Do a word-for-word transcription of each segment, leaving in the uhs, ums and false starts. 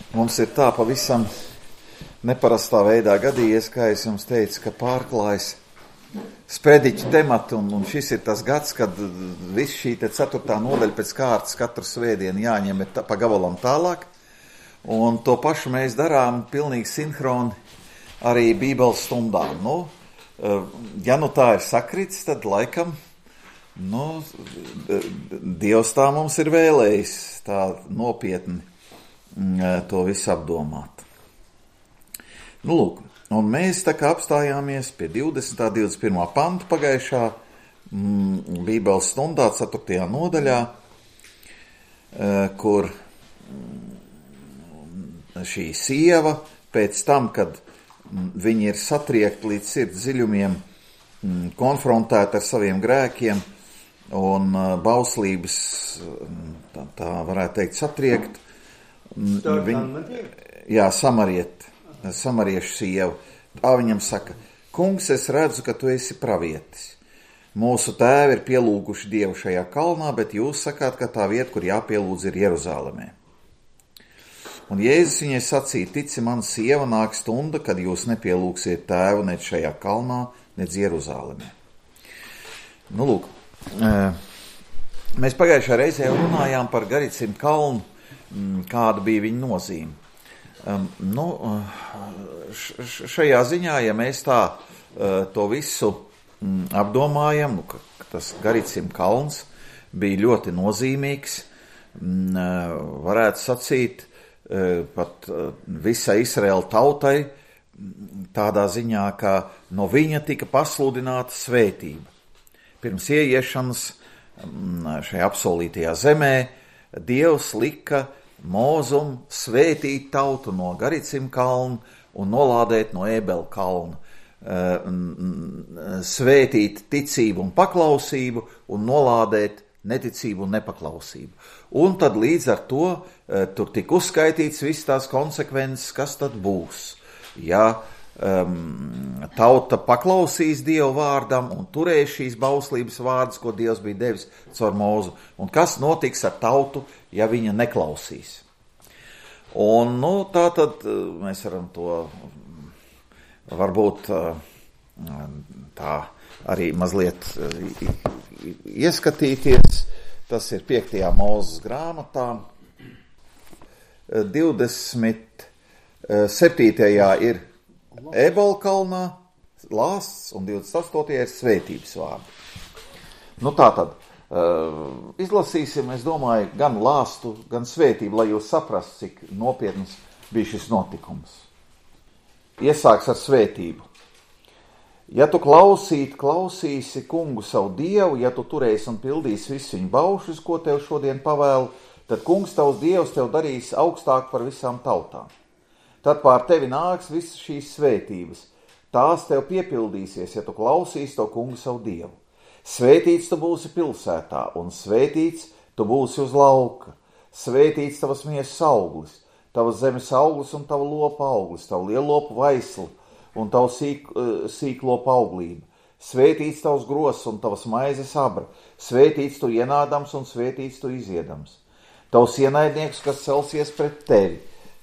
Mums ir tā pavisam neparastā veidā gadījies, kā es jums teicu, ka pārklājas sprediķu temati, un, un šis ir tas gads, kad viss šī te ceturtā nodaļa pēc kārtas katru svētdienu jāņem tā, pa gabalam tālāk, un to pašu mēs darām pilnīgi sinhroni arī Bībeles stundām. Nu, ja nu tā ir sakrits, tad laikam, nu, Dievs tā mums ir vēlējis tā nopietni to visu apdomāt. Nu, lūk. Un mēs tā kā apstājāmies pie divdesmitā, divdesmit pirmā panta pagājušā mm, Bībeles stundā, ceturtajā nodaļā, e, kur mm, šī sieva pēc tam, kad mm, viņi ir satriekti līdz sirds dziļumiem, mm, konfrontēti ar saviem grēkiem un uh, bauslības, tā, tā varētu teikt, satriekt. Mm, viņi, jā, samariet. Samariešu sievu. Tā viņam saka, kungs, es redzu, ka tu esi pravietis. Mūsu tēvi ir pielūguši Dievu šajā kalnā, bet jūs sakāt, ka tā vieta, kur jāpielūdz, ir Jeruzālemē. Un Jēzus viņai sacīja, tici man, sieva, nāk stunda, kad jūs nepielūgsiet tēvu nec šajā kalnā, nec Jeruzālemē. Nu, lūk, mēs pagājušā reizē runājām par Garicim kalnu, kāda bija viņa nozīme. Um, nu, š, šajā ziņā, ja mēs tā uh, to visu mm, apdomājam, nu, ka, ka tas Garicim kalns bija ļoti nozīmīgs, mm, uh, varētu sacīt uh, pat uh, visai Izraēla tautai, tādā ziņā, ka no viņa tika pasludināta svētība. Pirms ieiešanas mm, šajā apsolītajā zemē Dievs lika Mūzum svētīt tautu no Garicim kalna un nolādēt no Ēbela kalna, svētīt ticību un paklausību un nolādēt neticību un nepaklausību. Un tad līdz ar to tur tika uzskaitīts viss tās konsekvences, kas tad būs. Ja um, tauta paklausīs Dievu vārdam un turēs šīs bauslības vārdus, ko Dievs bija devis caur Mūzu, un kas notiks ar tautu, ja viņa neklausīs. Un, nu, tā tad mēs varam to varbūt tā arī mazliet ieskatīties. Tas ir piektajā Mūzes grāmatā. divdesmit septītajā ir Ēbela kalnā lāsts un divdesmit astotajā ir svētības vārdi. Nu, tā tad. Uh, izlasīsim, es domāju, gan lāstu, gan svētību, lai jūs saprastu, cik nopietnas bija šis notikums. Iesāks ar svētību. Ja tu klausīt, klausīsi kungu savu Dievu, ja tu turēsi un pildīsi visu viņu baušļus, ko tev šodien pavēlu, tad kungs tavs Dievs tev darīs augstāk par visām tautām. Tad pār tevi nāks visas šīs svētības. Tās tev piepildīsies, ja tu klausīsi to kungu savu Dievu. Svētīts tu būsi pilsētā, un svētīts tu būsi uz lauka. Svētīts tavas miesas auglis, tavas zemes auglis un tava lopa auglis, tava lielopa vaisla un tava sīk, sīklopa auglība. Svētīts tavs gros un tavas maizes abra, svētīts tu ienādams un svētīts tu iziedams. Tavs ienaidnieks, kas celsies pret tevi,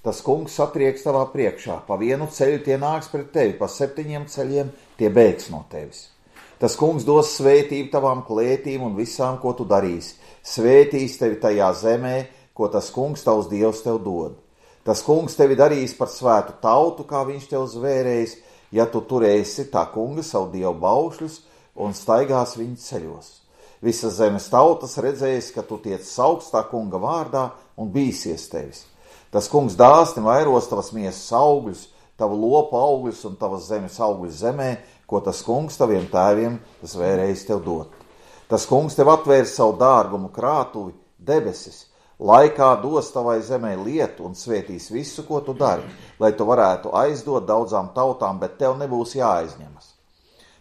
tas kungs satrieks tavā priekšā, pa vienu ceļu tie nāks pret tevi, pa septiņiem ceļiem tie bēgs no tevis. Tas kungs dos svētību tavām klētīm un visām, ko tu darīsi. Svētīs tevi tajā zemē, ko tas kungs tavs Dievs tev dod. Tas kungs tevi darīs par svētu tautu, kā viņš tev zvērējis, ja tu turēsi tā kunga savu Dievu baušļus un staigās viņa ceļos. Visas zemes tautas redzēs, ka tu tiec saukts tā kunga vārdā un bīsies tevis. Tas kungs dāsni vairos tavas miesas augļus, tavu lopu augļus un tavas zemes augļus zemē, ko tas kungs taviem tēviem zvērējis tev dot. Tas kungs tev atvērs savu dārgumu krātuvi, debesis, laikā dos tavai zemē lietu un svētīs visu, ko tu dari, lai tu varētu aizdot daudzām tautām, bet tev nebūs jāaizņemas.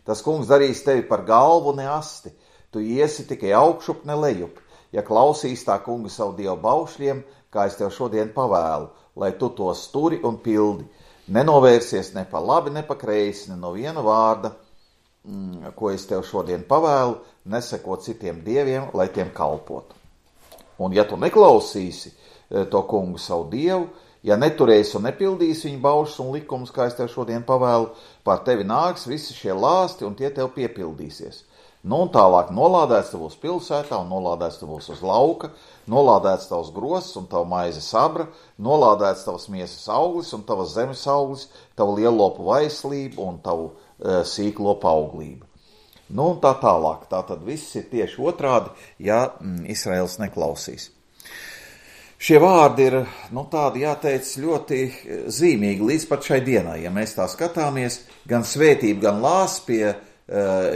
Tas kungs darīs tevi par galvu, ne asti, tu iesi tikai augšup, ne lejup, ja klausīs tā kunga savu Dievu baušļiem, kā es tev šodien pavēlu, lai tu tos turi un pildi. Nenovērsies ne pa labi, ne pa kreisi, ne no viena vārda, mm, ko es tev šodien pavēlu, neseko citiem dieviem, lai tiem kalpotu. Un ja tu neklausīsi to kungu savu Dievu, Ja neturēsi un nepildīsi viņa baušas un likumus, kā es tev šodien pavēlu, pār tevi nāks visi šie lāsti un tie tev piepildīsies. Nu un tālāk nolādēts tavos pilsētā un nolādēts tavos uz lauka, nolādēts tavs grozs un tava maize sabra, nolādēts tavas miesas auglis un tavas zemes auglis, tava lielopu vaislība un tavu e, sīklopu auglība. Nu un tā tālāk. Tā tad viss ir tieši otrādi, ja mm, Izraels neklausīs. Šie vārdi ir, nu tādi jāteic, ļoti zīmīgi līdz pat šai dienai. Ja mēs tā skatāmies, gan svētība, gan lās pie uh,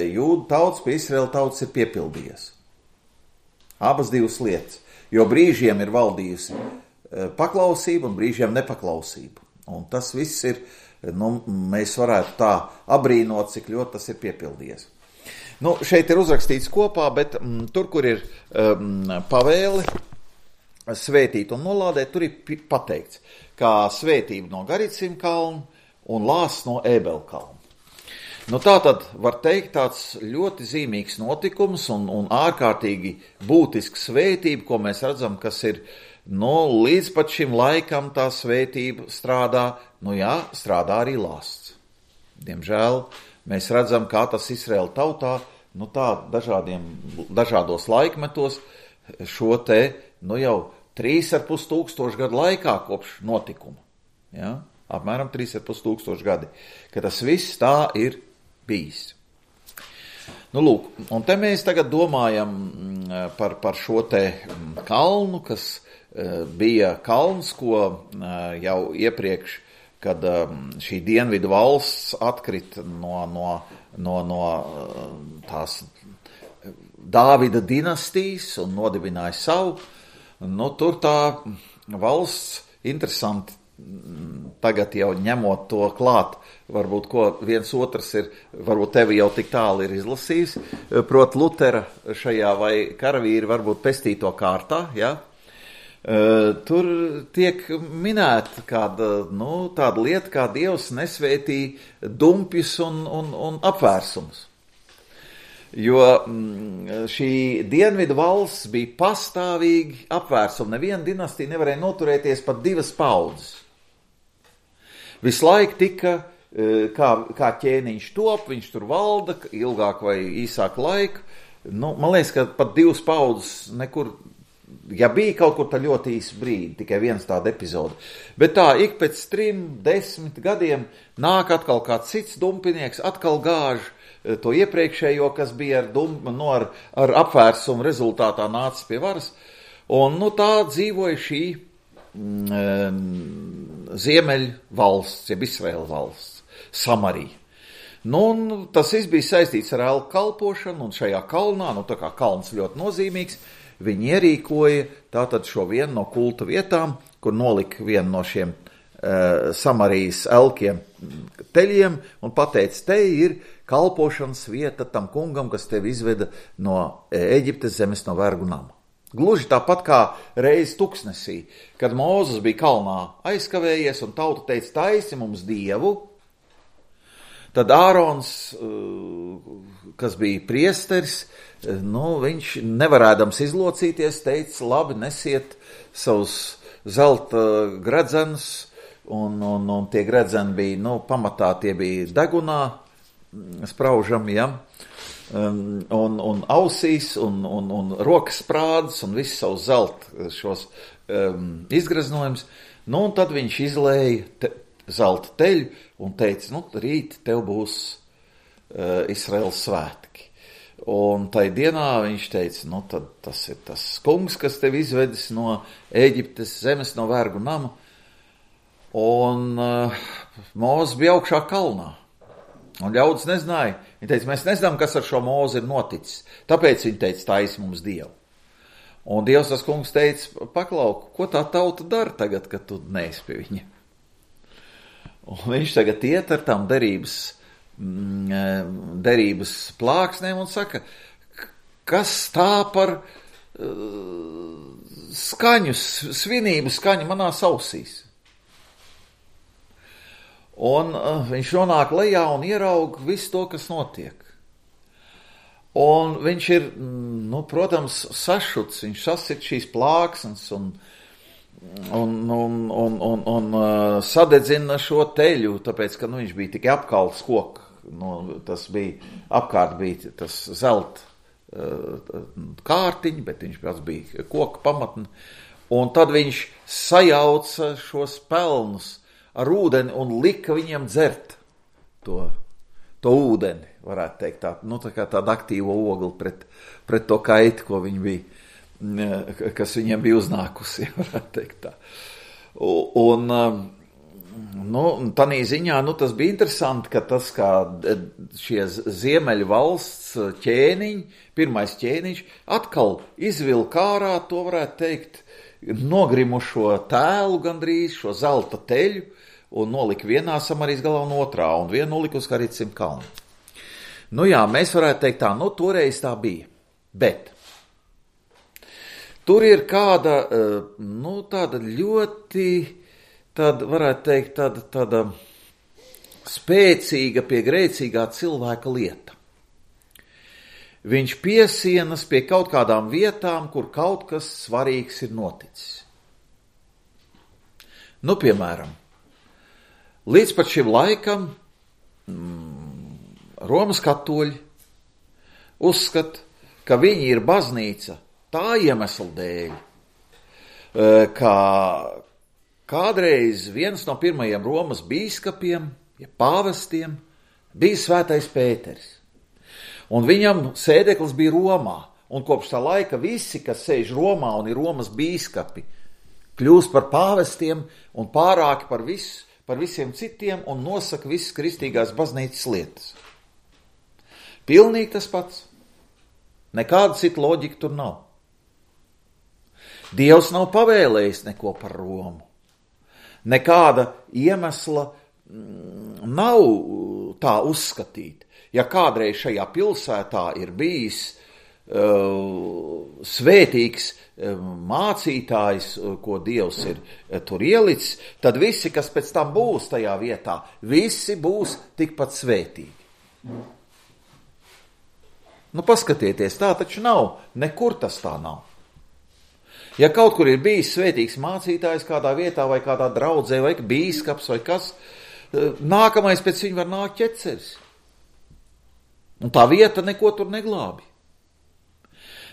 jūdu tautas, pie Izraela tautas ir piepildījies. Abas divas lietas, jo brīžiem ir valdījusi uh, paklausība un brīžiem nepaklausība. Un tas viss ir, nu, mēs varētu tā abrīnot, cik ļoti tas ir piepildījies. Nu, šeit ir uzrakstīts kopā, bet mm, tur, kur ir um, pavēli, svētīt un nolādēt, tur ir pateikts, kā svētība no Garicim kalna un lāsts no Ēbela kalna. Nu tā tad var teikt tāds ļoti zīmīgs notikums un, un ārkārtīgi būtisks svētība, ko mēs redzam, kas ir, nu, līdz pat šim laikam tā svētība strādā, nu jā, strādā arī lāsts. Diemžēl mēs redzam, kā tas Izraēla tautā, nu tā dažādiem, dažādos laikmetos šo te, nu jau trīs ar pus tūkstoši gadu laikā kopš notikuma. Ja? Apmēram trīs ar pus tūkstoši gadi, ka tas viss tā ir bijis. Nu, lūk, un te mēs tagad domājam par, par šo te kalnu, kas bija kalns, ko jau iepriekš, kad šī dienvidu valsts atkrita no, no, no, no tās Dāvida dinastijas un nodibināja savu, nu, tur tā valsts, interesanti, tagad jau ņemot to klāt, varbūt ko viens otrs ir, varbūt tevi jau tik tālu ir izlasījis, prot Lutera šajā vai karavīri varbūt pestīto kārtā, ja? Tur tiek minēta kāda, nu, tāda lieta, kā Dievs nesvētī dumpjus un, un, un apvērsums. Jo šī dienvidu valsts bija pastāvīgi apvērsuma. Neviena dinastija nevarēja noturēties pat divas paudzes. Visu laiku tika, kā, kā ķēniņš top, viņš tur valda ilgāk vai īsāk laiku. Nu, man liekas, ka pat divas paudzes nekur, ja bija kaut kur tā ļoti īsa brīdi, tikai viens tāda epizoda. Bet tā, ik pēc trim, desmit gadiem nāk atkal kāds cits dumpinieks, atkal gāž to iepriekšējo, kas bija ar, dum, no ar, ar apvērsumu rezultātā nācis pie varas. Un nu, tā dzīvoja šī mm, Ziemeļu valsts, jeb Izraēla valsts, Samarija. Nu, un tas viss bija saistīts ar elku kalpošanu, un šajā kalnā, nu tā kā kalns ļoti nozīmīgs, viņi ierīkoja tātad šo vienu no kulta vietām, kur nolika vienu no šiem uh, Samarijas elkiem teļiem, un pateica, te ir kalpošanas vieta tam kungam, kas tevi izveda no Eģiptes zemes, no vergu nama. Gluži tāpat kā reiz tuksnesī, kad Mūzes bija kalnā aizkavējies un tauta teica, taisi mums dievu, tad Ārons, kas bija priesteris, nu, viņš nevarēdams izlocīties, teica, labi, nesiet savus zelta gredzenus, un, un, un tie gredzeni bija, nu, pamatā tie bija degunā, spraužami, ja, um, un, un ausīs, un, un, un rokas sprādes, un visu savu zelta šos um, izgreznojumus. Nu, un tad viņš izlēja te, zelta teļu un teica, nu, rīt tev būs uh, Izraēlas svētki. Un tai dienā viņš teica, nu, tad tas ir tas kungs, kas tev izvedis no Ēģiptes zemes, no vergu nama. Un uh, Mūzes bija augšā kalnā. Un ļaudis nezināja. Viņi teica, mēs nezinām, kas ar šo Mūzi ir noticis. Tāpēc viņi teica, taisi mums dievu. Un Dievs tas kungs teica, paklauk, ko tā tauta dara tagad, kad tu neesi pie viņa? Un viņš tagad iet ar tām derības, derības plāksnēm un saka, kas tā par uh, skaņu, svinību skaņu manās ausīs. Un uh, viņš nonāk lejā un ieraug visu to, kas notiek. Un viņš ir, nu, protams, sašuts, viņš sasit šīs plāksnes un, un, un, un, un, un sadedzina šo teļu, tāpēc, ka nu, viņš bija tikai apkalts koku. Nu, tas bija, apkārt bija tas zelta kārtiņi, bet viņš pats bija koka pamatni. Un tad viņš sajauca šos pelnus ar ūdeni un lika viņiem dzert to, to ūdeni, varētu teikt, tā, nu, tā kā tāda aktīva ogli pret, pret to kaitu, ko viņi bija, kas viņiem bija uznākusi, varētu teikt tā. Un, nu, tanī ziņā, nu, tas bija interesanti, ka tas, kā šie ziemeļu valsts ķēniņi, pirmais ķēniņš, atkal izvilka ārā, to varētu teikt, nogrimušo tēlu gandrīz, šo zelta teļu, un nolika vienā Samarijas galā un otrā, un vienu nolika uz Karicim kalnu. Nu jā, mēs varētu teikt tā, nu toreiz tā bija, bet tur ir kāda, nu tāda ļoti, tāda, varētu teikt, tāda, tāda spēcīga pie grēcīgā cilvēka lieta. Viņš piesienas pie kaut kādām vietām, kur kaut kas svarīgs ir noticis. Nu, piemēram, līdz pat šim laikam mm, Romas katoļi uzskata, ka viņi ir baznīca tā iemesla dēļ, ka kādreiz viens no pirmajiem Romas bīskapiem, ja pāvestiem, bija svētais Pēteris. Un viņam sēdeklis bija Romā, un kopš tā laika visi, kas sēž Romā un ir Romas bīskapi, kļūst par pāvestiem un pārāki par, visu, par visiem citiem un nosaka visas kristīgās baznīcas lietas. Pilnīgi tas pats. Nekāda cita loģika tur nav. Dievs nav pavēlējis neko par Romu. Nekāda iemesla nav tā uzskatīt. Ja kādreiz šajā pilsētā ir bijis uh, svētīgs uh, mācītājs, uh, ko Dievs ir uh, tur ielicis, tad visi, kas pēc tam būs tajā vietā, visi būs tikpat svētīgi. Nu, paskatieties, tā taču nav, nekur tas tā nav. Ja kaut kur ir bijis svētīgs mācītājs kādā vietā vai kādā draudzē vai bīskaps vai kas, nākamais pēc viņa var nākt ķeceris. Un tā vieta neko tur neglābi.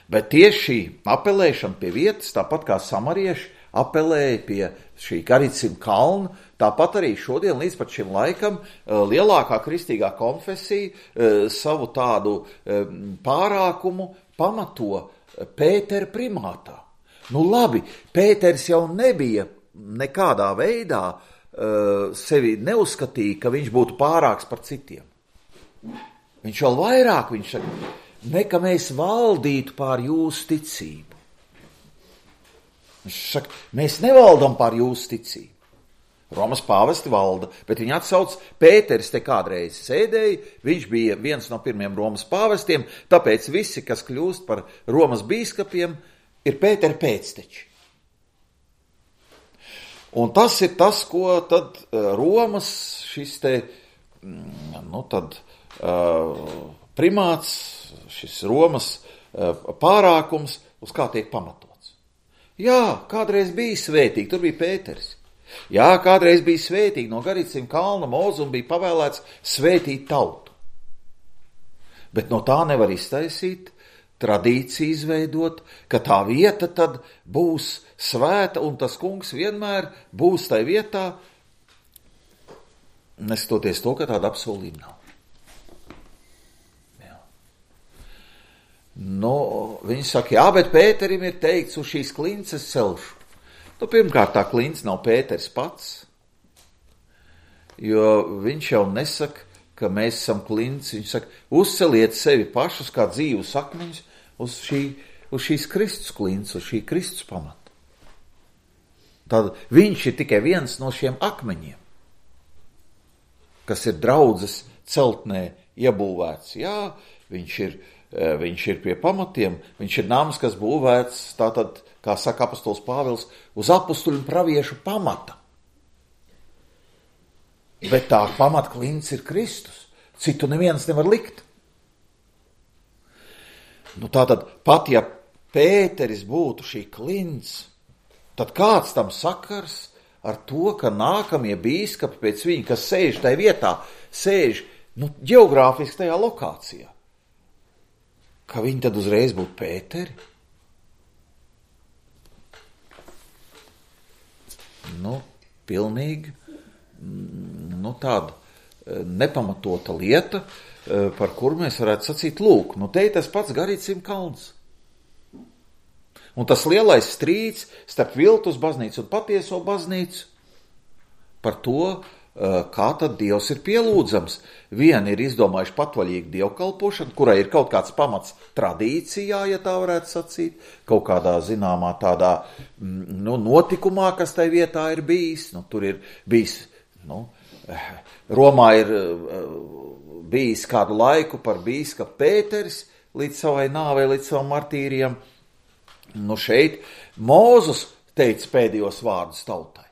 Bet tieši šī apelēšana pie vietas, tāpat kā samarieši apelēja pie šī Karicim kalna, tāpat arī šodien līdz pat šim laikam lielākā kristīgā konfesija savu tādu pārākumu pamato Pētera primātā. Nu labi, Pēters jau nebija nekādā veidā sevi neuzskatīja, ka viņš būtu pārāks par citiem. Viņš vēl vairāk, viņš saka, nekā mēs valdītu pār jūsu ticību. Viņš saka, mēs nevaldam pār jūsu ticību. Romas pāvesti valda, bet viņi atsauc, Pēteris te kādreiz sēdēja, viņš bija viens no pirmiem Romas pāvestiem, tāpēc visi, kas kļūst par Romas bīskapiem, ir Pētera pēcteči. Un tas ir tas, ko tad Romas šis te, nu tad, primāts, šis Romas pārākums, uz kā tiek pamatots. Jā, kādreiz bija svētīgi, tur bija Pēteris. Jā, kādreiz bija svētīgi, no Garicim kalna Mozum bija pavēlēts svētīt tautu. Bet no tā nevar iztaisīt tradīciju izveidot, ka tā vieta tad būs svēta un tas kungs vienmēr būs tai vietā, neskatoties to, ka tāda apsolījuma nav. Jā. Nu, viņi saka, jā, bet Pēterim ir teikts, uz šīs klinces celšu. Nu, pirmkārt, tā klince nav Pēters pats, jo viņš jau nesaka, ka mēs esam klinci. Viņš saka, uzceliet sevi pašus kā dzīvus akmeņus uz, šī, uz šīs Kristus klinces, uz šī Kristus pamata. Tad viņš ir tikai viens no šiem akmeņiem, kas ir draudzes celtnē iebūvēts. Jā, viņš ir, viņš ir pie pamatiem, viņš ir nams, kas būvēts, tātad, kā saka apostols Pāvils, uz apostuļu un praviešu pamata. Bet tā pamatklints ir Kristus. Citu neviens nevar likt. Nu tātad, pat ja Pēteris būtu šī klints, tad kāds tam sakars ar to, ka nākamie bīskapi pēc viņa, kas sēž tajā vietā, sēž, nu, ģeogrāfiski tajā lokācijā, ka viņi tad uzreiz būtu Pēteri? Nu, pilnīgi, nu, tāda nepamatota lieta, par kuru mēs varētu sacīt, lūk, nu, te ir tas pats Garīcim kalns. Un tas lielais strīds starp viltus baznīcu un patieso baznīcu par to, kā tad Dievs ir pielūdzams. Vieni ir izdomājuši patvaļīgu dievkalpošanu, kurai ir kaut kāds pamats tradīcijā, ja tā varētu sacīt, kaut kādā zināmā tādā nu, notikumā, kas tai vietā ir bijis. Nu, tur ir bijis, nu, Romā ir bijis kādu laiku par bīskapu Pēteris līdz savai nāvei, līdz savam martīrijam. Nu šeit Mūzus teica pēdējos vārdus tautai.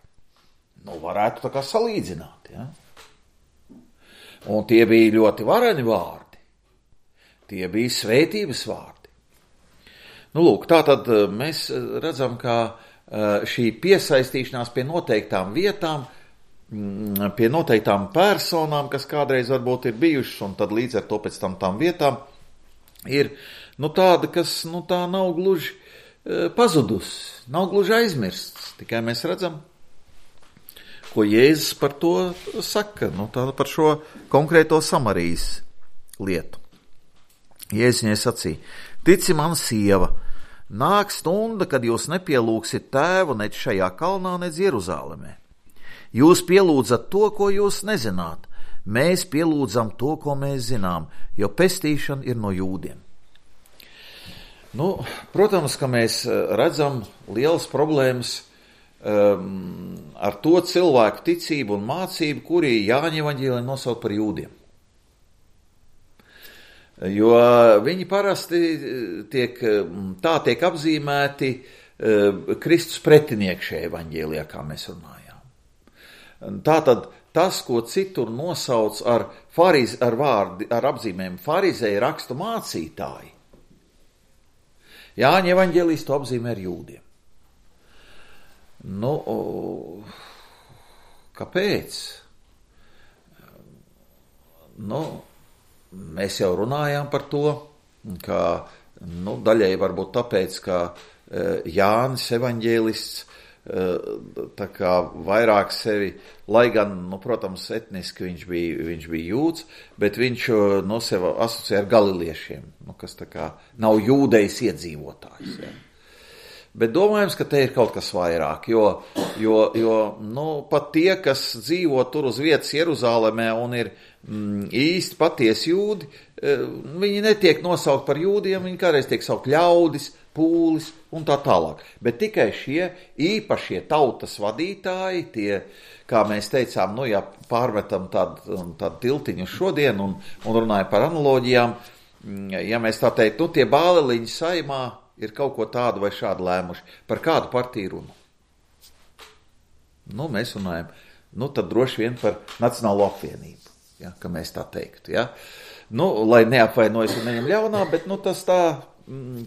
Nu varētu tā kā salīdzināt, ja? Un tie bija ļoti vareni vārdi. Tie bija svētības vārdi. Nu lūk, tātad mēs redzam, ka šī piesaistīšanās pie noteiktām vietām, pie noteiktām personām, kas kādreiz varbūt ir bijušas, un tad līdz ar to pēc tam tām vietām, ir nu tāda, kas nu tā nav gluži pazudus, nav gluži aizmirsts, tikai mēs redzam, ko Jēzus par to saka, nu tā par šo konkrēto Samarijas lietu. Jēzus viņai sacīja, tici man, sieva, nāk stunda, kad jūs nepielūgsiet tēvu nec šajā kalnā, nec Jeruzālemē. Jūs pielūdzat to, ko jūs nezināt, mēs pielūdzam to, ko mēs zinām, jo pestīšana ir no jūdiem. Nu, protams, ka mēs redzam lielas problēmas um, ar to cilvēku ticību un mācību, kuri Jāņa evaņģēlijā nosauc par jūdiem. Jo viņi parasti tiek, tā tiek apzīmēti uh, Kristus pretinieki šajā evaņģēlijā, kā mēs runājām. Tātad tas, ko citur nosauc ar, fariz, ar, vārdi, ar apzīmēm farizēju rakstu mācītāji, Jāņa evaņģēlijs to apzīmē ar jūdiem. Nu, kāpēc? Nu, mēs jau runājām par to, ka nu, daļai varbūt tāpēc, ka Jānis evaņģēlists tā kā vairāk sevi, lai gan, nu, protams, etniski viņš bija, viņš bija jūds, bet viņš no sevi asociē ar galiliešiem, nu, kas tā kā nav jūdejas iedzīvotājs. Ja. Bet domājams, ka te ir kaut kas vairāk, jo, jo, jo nu, pat tie, kas dzīvo tur uz vietas Jeruzālemē un ir mm, īsti patiesi jūdi, viņi netiek nosaukt par jūdiem, viņi kādreiz tiek saukt ļaudis, pūlis un tā tālāk. Bet tikai šie īpašie tautas vadītāji, tie, kā mēs teicām, nu, ja pārmetam tādu, tādu tiltiņu šodien un, un runājam par analoģijām, ja mēs tā teikt, nu, tie bāleliņi saimā ir kaut ko tādu vai šādu lēmuši. Par kādu partiju runu? Nu, mēs runājam, nu, tad droši vien par Nacionālo apvienību, ja, ka mēs tā teiktu, ja. Nu, lai neapvainojas un neņem ļaunā, bet, nu, tas tā,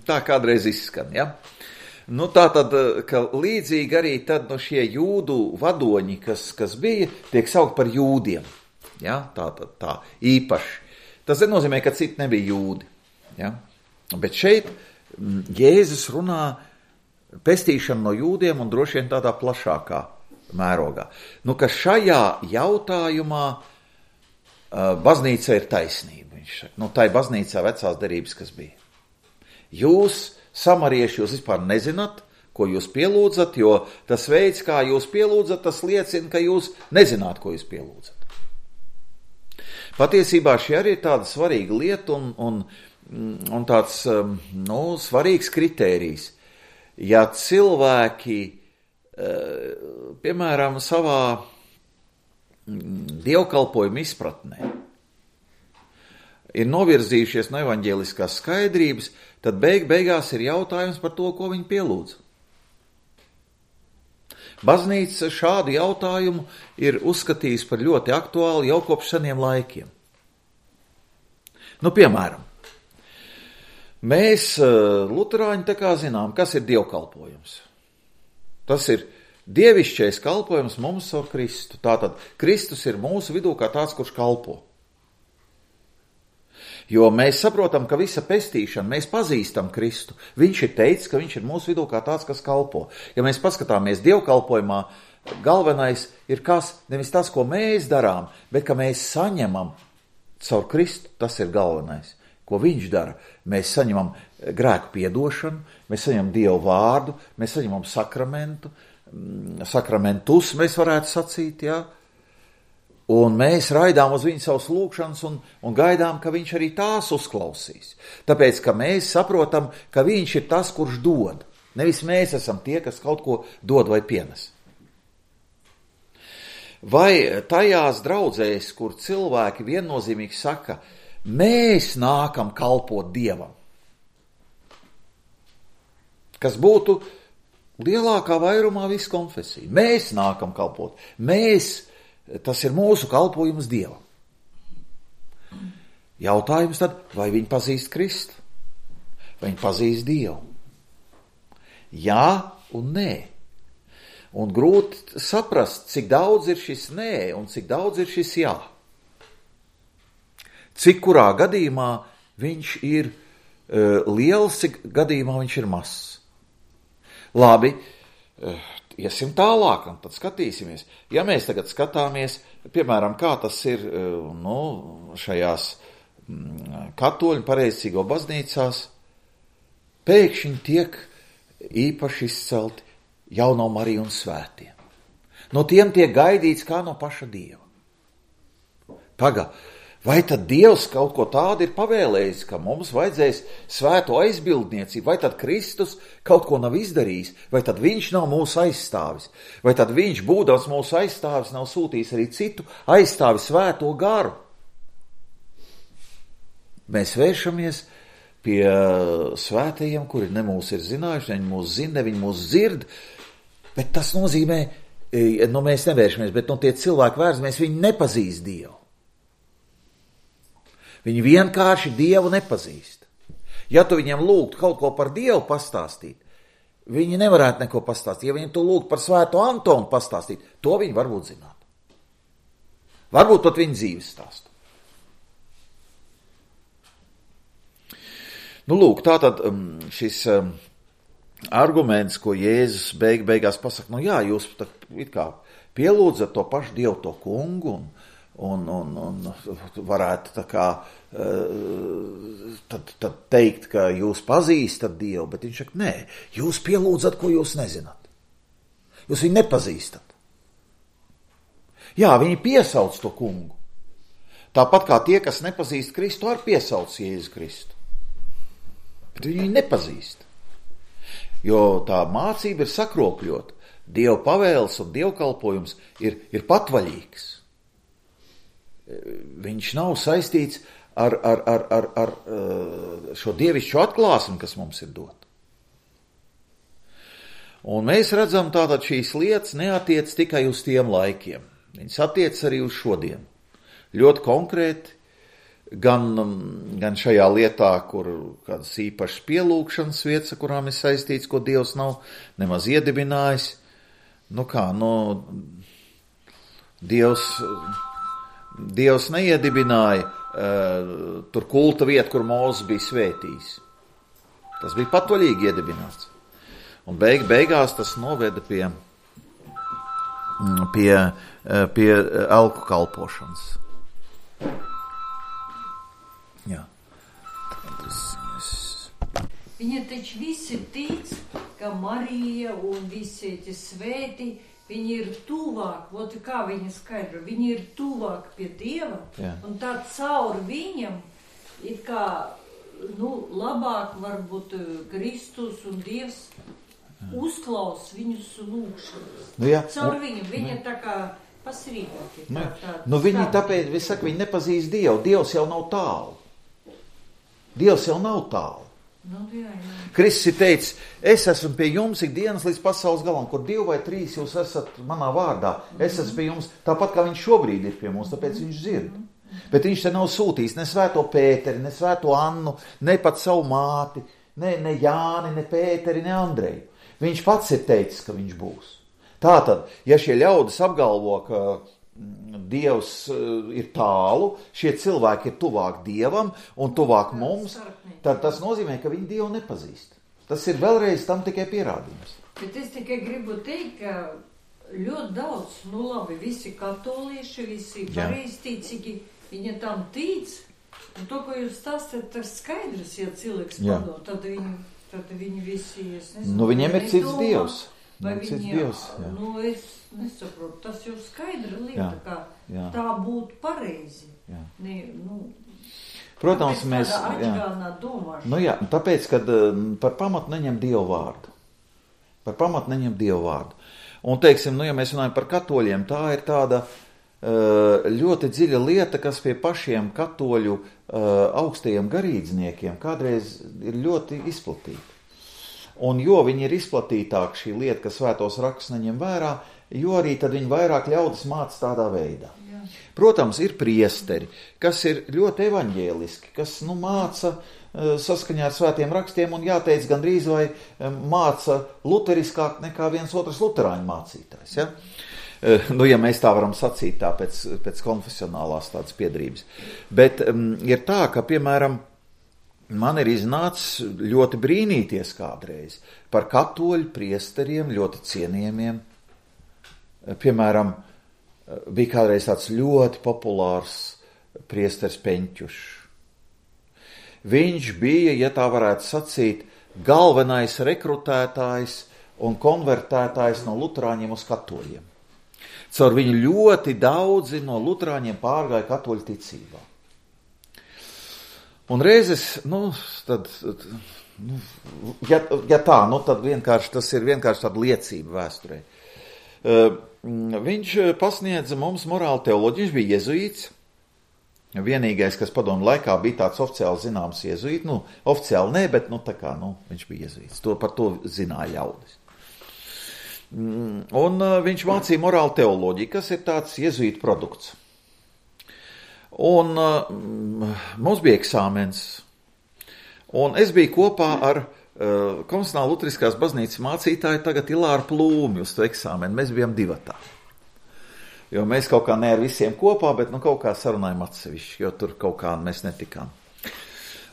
tā kādreiz izskan, ja. Nu, tā tad, ka līdzīgi arī tad no šie jūdu vadoņi, kas, kas bija, tiek saukt par jūdiem, ja, tā tad tā īpaši. Tas nenozīmē, ka citi nebija jūdi, ja. Bet šeit Jēzus runā pestīšanu no jūdiem un droši vien tādā plašākā mērogā. Nu, ka šajā jautājumā uh, baznīca ir taisnība. Viņš saka, nu, tā ir baznīcā vecās derības, kas bija. Jūs, samarieši, jūs vispār nezināt, ko jūs pielūdzat, jo tas veids, kā jūs pielūdzat, tas liecina, ka jūs nezināt, ko jūs pielūdzat. Patiesībā šī arī ir tāda svarīga lieta un, un, un tāds nu, svarīgs kritērijs. Ja cilvēki, piemēram, savā dievkalpojuma izpratnē ir novirzījušies no evaņģēliskās skaidrības, tad beig beigās ir jautājums par to, ko viņi pielūdz. Baznīca šādu jautājumu ir uzskatījusi par ļoti aktuālu jau kopš seniem laikiem. Nu, piemēram, mēs, luterāņi, tā kā zinām, kas ir dievkalpojums. Tas ir dievišķais kalpojums mums ar Kristu. Tātad Kristus ir mūsu vidū kā tāds, kurš kalpo. Jo mēs saprotam, ka visa pestīšana, mēs pazīstam Kristu. Viņš ir teicis, ka viņš ir mūsu vidū kā tāds, kas kalpo. Ja mēs paskatāmies dievkalpojumā, galvenais ir kas, nevis tas, ko mēs darām, bet ka mēs saņemam caur Kristu, tas ir galvenais. Ko viņš dara? Mēs saņemam grēku piedošanu, mēs saņemam Dievu vārdu, mēs saņemam sakramentu, sakramentus mēs varētu sacīt, jā. Un mēs raidām uz viņu savus lūgšanas un, un gaidām, ka viņš arī tās uzklausīs. Tāpēc, ka mēs saprotam, ka viņš ir tas, kurš dod. Nevis mēs esam tie, kas kaut ko dod vai pienes. Vai tajās draudzēs, kur cilvēki viennozīmīgi saka, mēs nākam kalpot Dievam, kas būtu lielākā vairumā visu konfesiju. Mēs nākam kalpot, mēs tas ir mūsu kalpojums Dievam. Jautājums tad, vai viņi pazīst Kristu? Vai viņi pazīst Dievu? Jā un nē. Un grūti saprast, cik daudz ir šis nē un cik daudz ir šis jā. Cik kurā gadījumā viņš ir uh, liels, cik gadījumā viņš ir mazs. Labi, uh, iesim tālāk, un tad skatīsimies. Ja mēs tagad skatāmies, piemēram, kā tas ir nu, šajās katoļu pareizcīgo baznīcās, pēkšņi tiek īpaši izcelti Jauno Mariju un svētie. No tiem tiek gaidīts kā no paša Dieva. Paga, vai tad Dievs kaut ko tādu ir pavēlējis, ka mums vajadzēs svēto aizbildniecību, vai tad Kristus kaut ko nav izdarījis, vai tad viņš nav mūsu aizstāvis, vai tad viņš, būdams mūsu aizstāvis, nav sūtījis arī citu aizstāvi svēto garu. Mēs vēršamies pie svētajiem, kuri ne mūs ir zinājuši, ne mūs zina, ne viņi mūs dzird, bet tas nozīmē, nu mēs nevēršamies, bet no tie cilvēki vērsamies, viņi nepazīst Dievu. Viņi vienkārši Dievu nepazīst. Ja tu viņiem lūgtu kaut ko par Dievu pastāstīt, viņi nevarētu neko pastāstīt. Ja viņi tu lūgtu par svēto Antonu pastāstīt, to viņi varbūt zināt. Varbūt pat viņa dzīves stāstu. Nu, lūk, tātad šis um, arguments, ko Jēzus beig, beigās pasaka, nu jā, jūs tā, it kā pielūdzat to pašu Dievu, to kungu, un Un, un, un varētu tā kā tad, tad teikt, ka jūs pazīstat Dievu, bet viņš saka, nē, jūs pielūdzat, ko jūs nezināt. Jūs viņu nepazīstat. Jā, viņi piesauc to kungu. Tāpat kā tie, kas nepazīst Kristu, arī piesauc Jēzu Kristu. Bet viņi nepazīst. Jo tā mācība ir sakropļota. Dieva pavēles un dievkalpojums ir, ir patvaļīgs. Viņš nav saistīts ar, ar, ar, ar, ar šo dievišķo atklāsmi, kas mums ir dota. Un mēs redzam, tātad šīs lietas neatiec tikai uz tiem laikiem. Viņas attiec arī uz šodien. Ļoti konkrēti, gan, gan šajā lietā, kur kādas īpašas pielūgšanas vietas, kurām ir saistīts, ko Dievs nav nemaz iedibinājis. Nu kā, nu, Dievs... Dievs neiedibināja uh, tur kulta vietu, kur Mūzes bija svētījis. Tas bija patvaļīgi iedibināts. Un beig, beigās tas noveda pie, pie, pie elku kalpošanas. Jā. Viņa taču visi tic, ka Marija un visi tie svēti, viņi ir tuvāk, ot kā viņa skaidro, viņi ir tuvāk pie Dieva, jā. Un tā caur viņam ir kā, nu, labāk varbūt Kristus un Dievs uzklaus viņus lūgšanas. Nu, jā. Caur viņam, viņa tā kā pasrīdāk. Nu, tā, nu viņi tāpēc, viņi saka, viņi nepazīst Dievu, Dievs jau nav tālu. Dievs jau nav tālu. Nu, jā, jā. Kristus ir teicis, es esmu pie jums ikdienas līdz pasaules galam, kur divi vai trīs jūs esat manā vārdā. Es esmu pie jums, tāpat kā viņš šobrīd ir pie mums, tāpēc viņš dzird. Bet viņš te nav sūtījis ne svēto Pēteri, ne svēto Annu, ne pat savu māti, ne, ne Jāni, ne Pēteri, ne Andreju. Viņš pats ir teicis, ka viņš būs. Tātad, ja šie ļaudis apgalvo, ka Dievs ir tālu, šie cilvēki ir tuvāk Dievam un tuvāk mums, tad tas nozīmē, ka viņi Dievu nepazīst. Tas ir vēlreiz tam tikai pierādījums. Bet es tikai gribu teikt, ka ļoti daudz, nu labi, visi katolieši, visi pareizticīgi, viņi tam tic, un to, ko jūs stāstat, tas skaidrs, ja cilvēks padod, tad viņi, tad viņi visi, es nezinu, nu, viņiem ir cits Dievs. Vai viņi, Dievs, nu, es nesaprotu, tas jau skaidra lieta, jā, kā jā. Tā būtu pareizi. Ne, nu, protams, mēs, jā. Nu, jā, tāpēc, kad par pamatu neņem Dievu vārdu. Par pamatu neņem Dievu vārdu. Un, teiksim, nu, ja mēs runājam par katoļiem, tā ir tāda ļoti dziļa lieta, kas pie pašiem katoļu augstajiem garīdzniekiem kādreiz ir ļoti izplatīta. Un jo viņi ir izplatītāki šī lieta, ka svētos rakstus neņem vērā, jo arī tad viņi vairāk ļaudis māca tādā veidā. Jā. Protams, ir priesteri, kas ir ļoti evaņģēliski, kas nu, māca saskaņā ar svētiem rakstiem un jāteic gandrīz vai māca luteriskāk nekā viens otrs luterāņu mācītājs. Ja? Nu, ja mēs tā varam sacīt tā pēc, pēc konfesionālās tādas piedrības. Bet um, ir tā, ka, piemēram, man ir iznācis ļoti brīnīties kādreiz par katoļu priesteriem, ļoti cienījamiem. Piemēram, bija kādreiz tāds ļoti populārs priesteris Peņķušs. Viņš bija, ja tā varētu sacīt, galvenais rekrutētājs un konvertētājs no luterāņiem uz katoļiem. Caur viņu ļoti daudzi no luterāņiem pārgāja katoļu ticībā. Un reizes, nu, tad, nu, ja, ja tā, nu, tad vienkārši tas ir vienkārši tāda liecība vēsturē. Uh, viņš pasniedza mums morālu teoloģiju, viņš bija jezuīts. Vienīgais, kas padomu laikā bija tāds oficiāli zināms jezuīts, nu, oficiāli ne, bet, nu, tā kā, nu, viņš bija jezuīts. To, par to zināja ļaudis. Un uh, viņš mācīja morālu teoloģiju, kas ir tāds jezuīta produkts. Un uh, mums bija eksāmens, un es biju kopā ar uh, Konstitucionāla Luteriskās baznīcas mācītāju tagad Ilāru Plūmi uz to eksāmenu. Mēs bijām divatā, jo mēs kaut kā ne ar visiem kopā, bet nu kaut kā sarunājam atsevišķi, jo tur kaut kā mēs netikām.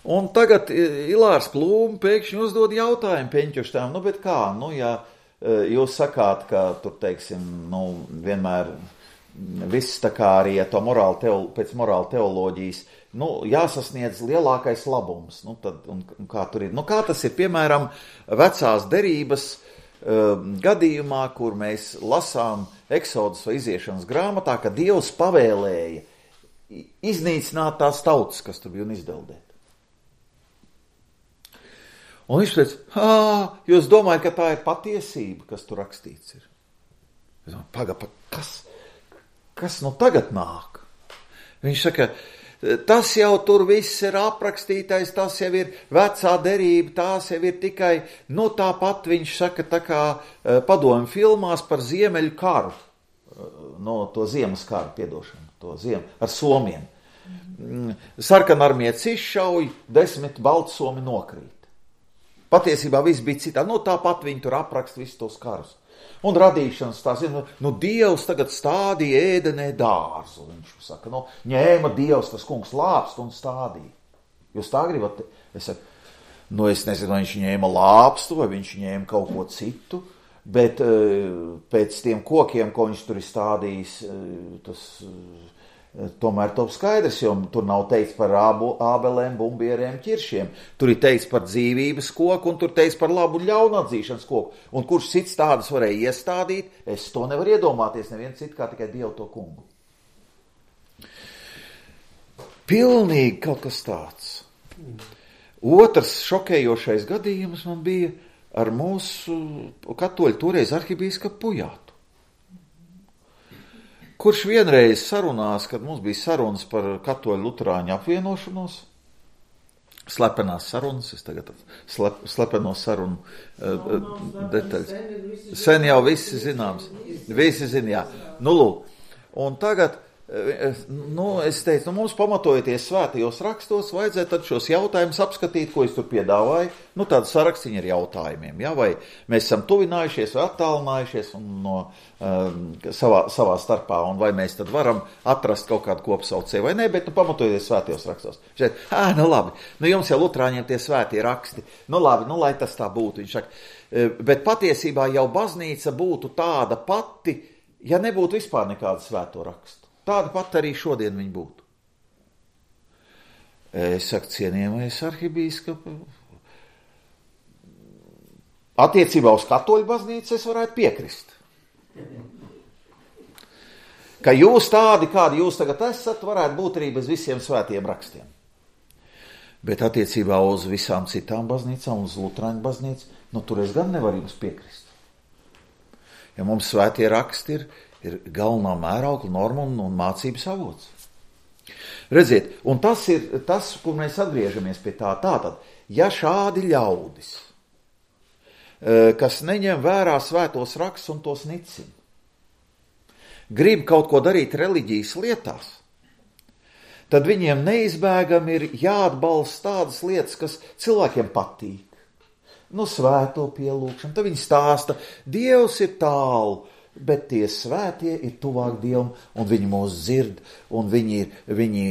Un tagad Ilārs Plūmi pēkšņi uzdod jautājumu Peņķuštām, nu bet kā, nu ja jūs sakāt, ka tur teiksim, nu vienmēr viss tā kā arī ja to morāli teolo, pēc morāla teoloģijas, nu, jāsasniedz lielākais labums. Nu, tad, un, un kā tur ir? Nu, kā tas ir, piemēram, vecās derības uh, gadījumā, kur mēs lasām Eksodas vai iziešanas grāmatā, ka Dievs pavēlēja iznīcināt tās tautas, kas tur bija un izdeldēt. Un viņš teica, jūs domājat, ka tā ir patiesība, kas tur rakstīts ir? Es domāju, paga, pa, kas? Kas nu tagad nāk? Viņš saka, tas jau tur viss ir aprakstītais, tas jau ir vecā derība, tās jau ir tikai, nu tāpat viņš saka, tā kā padomju filmās par Ziemeļu karu, no to ziemas karu, piedošanu, to ziemu, ar somiem. Sarkanarmietis izšauj, desmit baltsomi nokrīt. Patiesībā viss bija citā, nu tāpat viņi tur apraksta visus tos karus. Un radīšanas tās, nu, nu Dievs tagad stādīja ēdenē dārzu, viņš saka, nu, ņēma Dievs tas kungs lāpstu un stādīja. Jūs tā gribat? Es saku, nu, es nezinu, vai viņš ņēma lāpstu, vai viņš ņēma kaut ko citu, bet uh, pēc tiem kokiem, ko viņš tur ir stādījis, uh, tas uh, tomēr top skaidrs, jo tur nav teikts par ābu, ābelēm, bumbieriem, ķiršiem. Tur ir teikts par dzīvības koku un tur teikts par labu ļaunu atzīšanas koku. Un kurš cits tādas varēja iestādīt, es to nevaru iedomāties, neviens cits kā tikai Dievu to kungu. Pilnīgi kaut kas tāds. Otrs šokējošais gadījums man bija ar mūsu katoļu toreiz arhibīskapu Pujātu. Kurš vienreiz sarunās, kad mums bija sarunas par katoļu luterāņu apvienošanos, slepenās sarunas, es tagad slep, slepeno sarunu uh, detaļas. Sen jau visi zināms, visi zin, jā. Nu, lūk, un tagad nu, es teicu, nu, mums pamatojoties svētajos rakstos, vajadzētu tad šos jautājumus apskatīt, ko es tur piedāvāju, nu, tādu sarakstiņu ar jautājumiem, ja, vai mēs esam tuvinājušies vai attālinājušies un no um, savā, savā starpā, un vai mēs tad varam atrast kaut kādu kopsaucēju vai ne, bet, nu, pamatojoties svētajos rakstos. Viņš teica, ā, nu, labi, nu, jums jau lutrāņiem tie svētie raksti, nu, labi, nu, lai tas tā būtu, viņš saka, bet patiesībā jau baznīca būtu tāda pati, ja nebūtu vispār nekāda svēto rakstu. Tāda pat arī šodien viņi būtu. Es saku, cienījamais arhibīskapi, attiecībā uz katoļu baznīcu es varētu piekrist. Ka jūs tādi, kādi jūs tagad esat, varētu būt arī bez visiem svētiem rakstiem. Bet attiecībā uz visām citām baznīcām, uz lutrāņu baznīcu, nu tur es gan nevaru jums piekrist. Ja mums svētie raksti ir, ir galvenā mēraukla norma un, un mācības avots. Redziet, un tas ir tas, kur mēs atgriežamies pie tā. Tātad, ja šādi ļaudis, kas neņem vērā svētos rakstus un tos nicina, grib kaut ko darīt reliģijas lietās, tad viņiem neizbēgami ir jāatbalsta tādas lietas, kas cilvēkiem patīk. Nu, svēto pielūgšanu, tad viņi stāsta, Dievs ir tālu, bet tie svētie ir tuvāk Dievam, un viņi mūs dzird, un viņi, viņi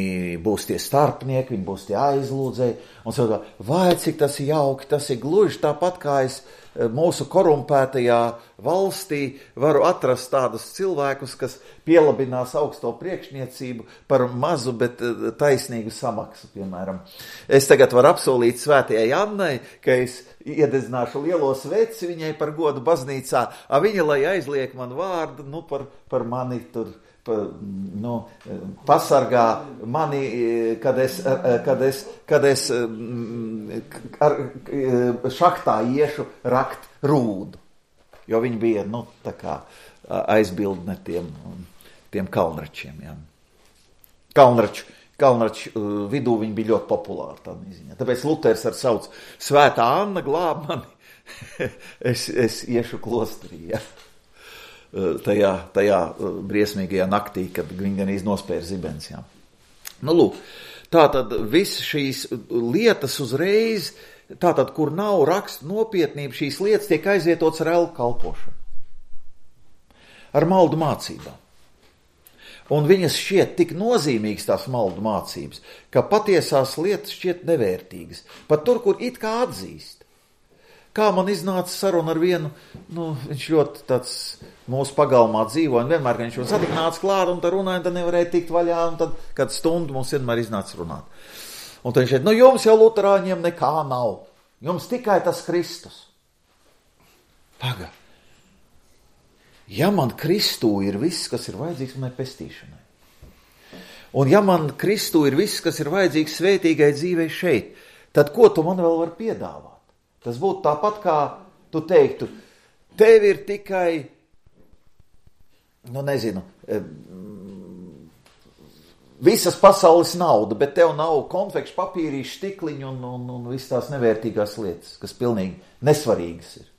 būs tie starpnieki, viņi būs tie aizlūdzēji, un saka, vai cik tas ir jauki, tas ir gluži tāpat, kā es mūsu korumpētajā valstī varu atrast tādus cilvēkus, kas pielabinās augsto priekšniecību par mazu, bet taisnīgu samaksu, piemēram. Es tagad varu apsolīt svētajai Annai, ka es iededzināšu lielo sveci viņai par godu baznīcā, a viņa, lai aizliek man vārdu, nu, par, par mani tur, par, nu, pasargā mani, kad es, kad es, kad es ar šahtā iešu rakt rūdu. Jo viņi bija, nu, tā kā aizbildne tiem, tiem kalnračiem, jā. Kalnraču. Kalnraču uh, vidū viņi bija ļoti populāri tādā ziņā. Tāpēc Luters ar sauc Svētā Anna glāb mani, es, es iešu klosterī, ja? uh, tajā, tajā uh, briesmīgajā naktī, kad viņi gan iznospēra zibens. Ja? Nu, lūk, tātad visas šīs lietas uzreiz, tātad, kur nav rakstu nopietnība, šīs lietas tiek aizvietots ar elku kalpošanu, ar maldu mācībām. Un viņas šķiet tik nozīmīgas tās maldu mācības, ka patiesās lietas šķiet nevērtīgas. Pat tur, kur it kā atzīst. Kā man iznāca saruna ar vienu, nu, viņš ļoti tāds mūsu pagalmā dzīvo, un vienmēr, kad viņš man satika, nāca klāt, un tad runāja, un tad nevarēja tikt vaļā, un tad, kad stundu mums vienmēr iznāca runāt. Un tad viņš šeit, nu, jums jau luterāņiem nekā nav. Jums tikai tas Kristus. Paga. Ja man Kristū ir viss, kas ir vajadzīgs manai pestīšanai, un ja man Kristū ir viss, kas ir vajadzīgs svētīgai dzīvei šeit, tad ko tu man vēl var piedāvāt? Tas būtu tāpat, kā tu teiktu, tev ir tikai, nu nezinu, visas pasaules nauda, bet tev nav konfekšu papīrīšu, stikliņu un, un, un viss tās nevērtīgās lietas, kas pilnīgi nesvarīgas ir.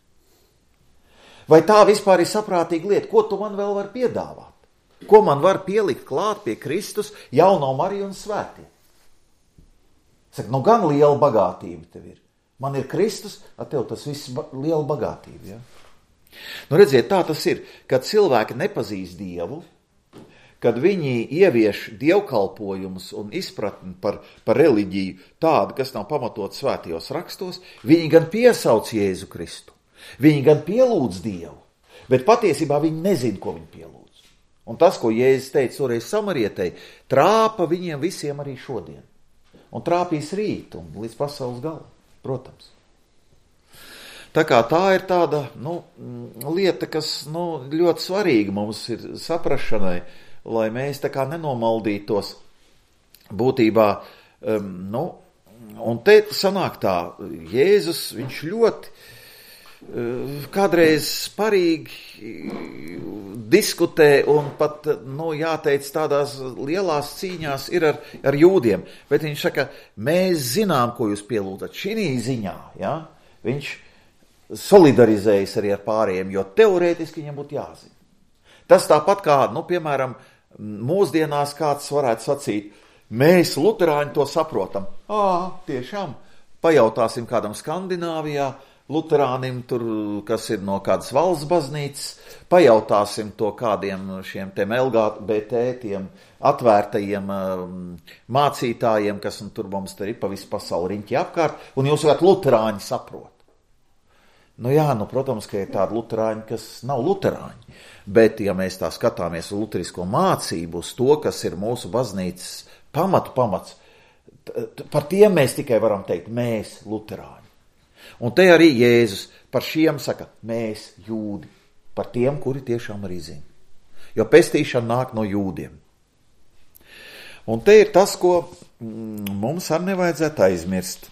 Vai tā vispār ir saprātīga lieta? Ko tu man vēl var piedāvāt? Ko man var pielikt klāt pie Kristus, jauno Mariju un svētie? Saka, nu gan liela bagātība tev ir. Man ir Kristus, a tev tas viss ba- liela bagātība. Ja? Nu redziet, tā tas ir, kad cilvēki nepazīst Dievu, kad viņi ievieš dievkalpojumus un izpratni par, par reliģiju tādu, kas nav pamatot svētajos rakstos, viņi gan piesauc Jēzu Kristu. Viņi gan pielūdz Dievu, bet patiesībā viņi nezin, ko viņi pielūdz. Un tas, ko Jēzus teica toreiz samarietei, trāpa viņiem visiem arī šodien. Un trāpīs rīt un līdz pasaules galam, protams. Tā kā tā ir tāda, nu, lieta, kas, nu, ļoti svarīga mums ir saprašanai, lai mēs tā kā nenomaldītos būtībā, um, nu, un te sanāk tā, Jēzus, viņš ļoti kādreiz parīgi diskutē un pat, nu, jāteic, tādās lielās cīņās ir ar, ar jūdiem. Bet viņš saka, mēs zinām, ko jūs pielūdzat. Šī ziņā, ja, viņš solidarizējas arī ar pārējiem, jo teorētiski viņam būtu jāzina. Tas tāpat kā, nu, piemēram, mūsdienās kāds varētu sacīt, mēs, luterāņi, to saprotam. Ā, tiešām, pajautāsim kādam Skandināvijā, luterānim, tur, kas ir no kādas valsts baznīcas, pajautāsim to kādiem šiem tiem L G B T, tiem atvērtajiem um, mācītājiem, kas un tur mums tur ir pa visu pasauli riņķi apkārt, un jūs varat luterāņi saprot. Nu jā, nu, protams, ka ir tādi luterāņi, kas nav luterāņi, bet ja mēs tā skatāmies uz luterisko mācību, uz to, kas ir mūsu baznīcas pamatu pamats, par tiem mēs tikai varam teikt, mēs, luterāņi. Un te arī Jēzus par šiem saka, mēs, jūdi, par tiem, kuri tiešām arī zina. Jo pestīšana nāk no jūdiem. Un te ir tas, ko mm, mums arī nevajadzētu aizmirst,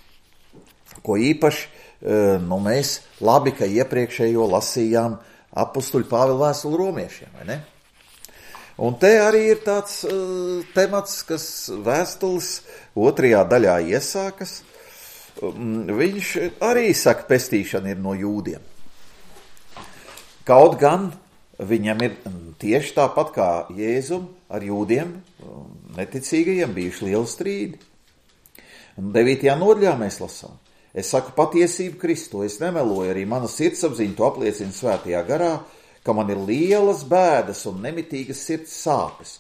ko īpaši, nu, mēs labi, ka iepriekšējo lasījām apustuļu Pāvila vēstuli romiešiem, vai ne? Un te arī ir tāds uh, temats, kas vēstules otrajā daļā iesākas. Viņš arī saka, pestīšana ir no jūdiem. Kaut gan viņam ir tieši tāpat kā Jēzum ar jūdiem, neticīgajiem bijuši lieli strīdi. Un devītajā nodaļā mēs lasām. Es saku patiesību Kristu, es nemeloju, arī mana sirdsapziņa to apliecina svētajā garā, ka man ir lielas bēdas un nemitīgas sirds sāpes.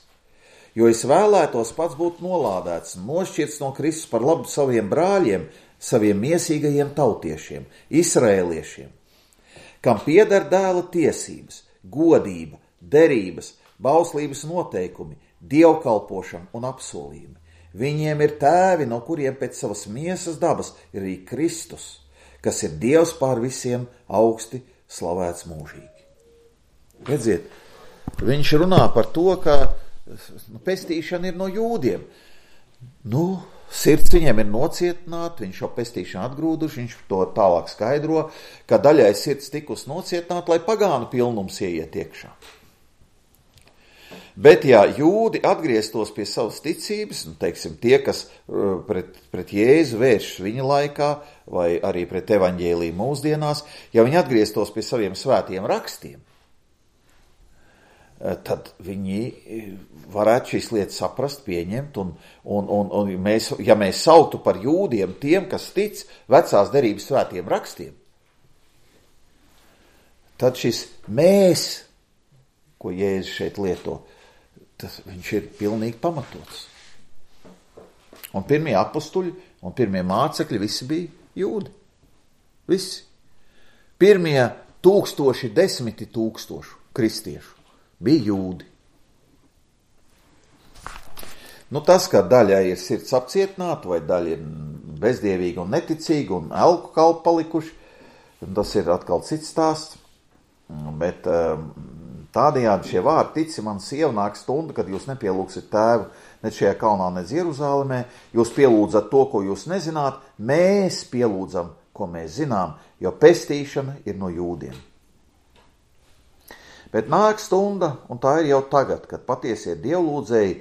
Jo es vēlētos pats būt nolādēts un nošķirts no Kristus par labu saviem brāļiem, saviem miesīgajiem tautiešiem, izraēliešiem, kam pieder dēla tiesības, godība, derības, bauslības noteikumi, dievkalpošana un apsolījumi. Viņiem ir tēvi, no kuriem pēc savas miesas dabas ir arī Kristus, kas ir Dievs pār visiem augsti slavēts mūžīgi. Redziet, viņš runā par to, ka pestīšana ir no jūdiem. Nu, sirds viņiem ir nocietināta, viņš jau pestīšanu atgrūduši, viņš to tālāk skaidro, ka daļai sirds tikus nocietināta, lai pagānu pilnums ieiet iekšā. Bet, ja jūdi atgrieztos pie savas ticības, nu, teiksim, tie, kas pret, pret Jēzu vēršas viņa laikā, vai arī pret evaņģēliju mūsdienās, ja viņi atgrieztos pie saviem svētiem rakstiem, tad viņi varētu šīs lietas saprast, pieņemt, un, un, un, un mēs, ja mēs sauktu par jūdiem tiem, kas tic vecās derības svētiem rakstiem, tad šis mēs, ko Jēzus šeit lieto, tas viņš ir pilnīgi pamatots. Un pirmie apustuļi un pirmie mācekļi visi bija jūdi. Visi. Pirmie tūkstoši, desmiti tūkstošu kristiešu bija jūdi. Nu, tas, ka daļai ir sirds apcietināta, vai daļa ir bezdievīga un neticīga un elku kalpi palikuši, tas ir atkal cits stāsts. Bet tādējādi šie vārdi, tici man, sieva, nāk stunda, kad jūs nepielūgsiet tēvu ne šajā kalnā, ne Jeruzalemē, jūs pielūdzat to, ko jūs nezināt, mēs pielūdzam, ko mēs zinām, jo pestīšana ir no jūdiem. Bet nāk stunda, un tā ir jau tagad, kad patiesie dievlūdzēji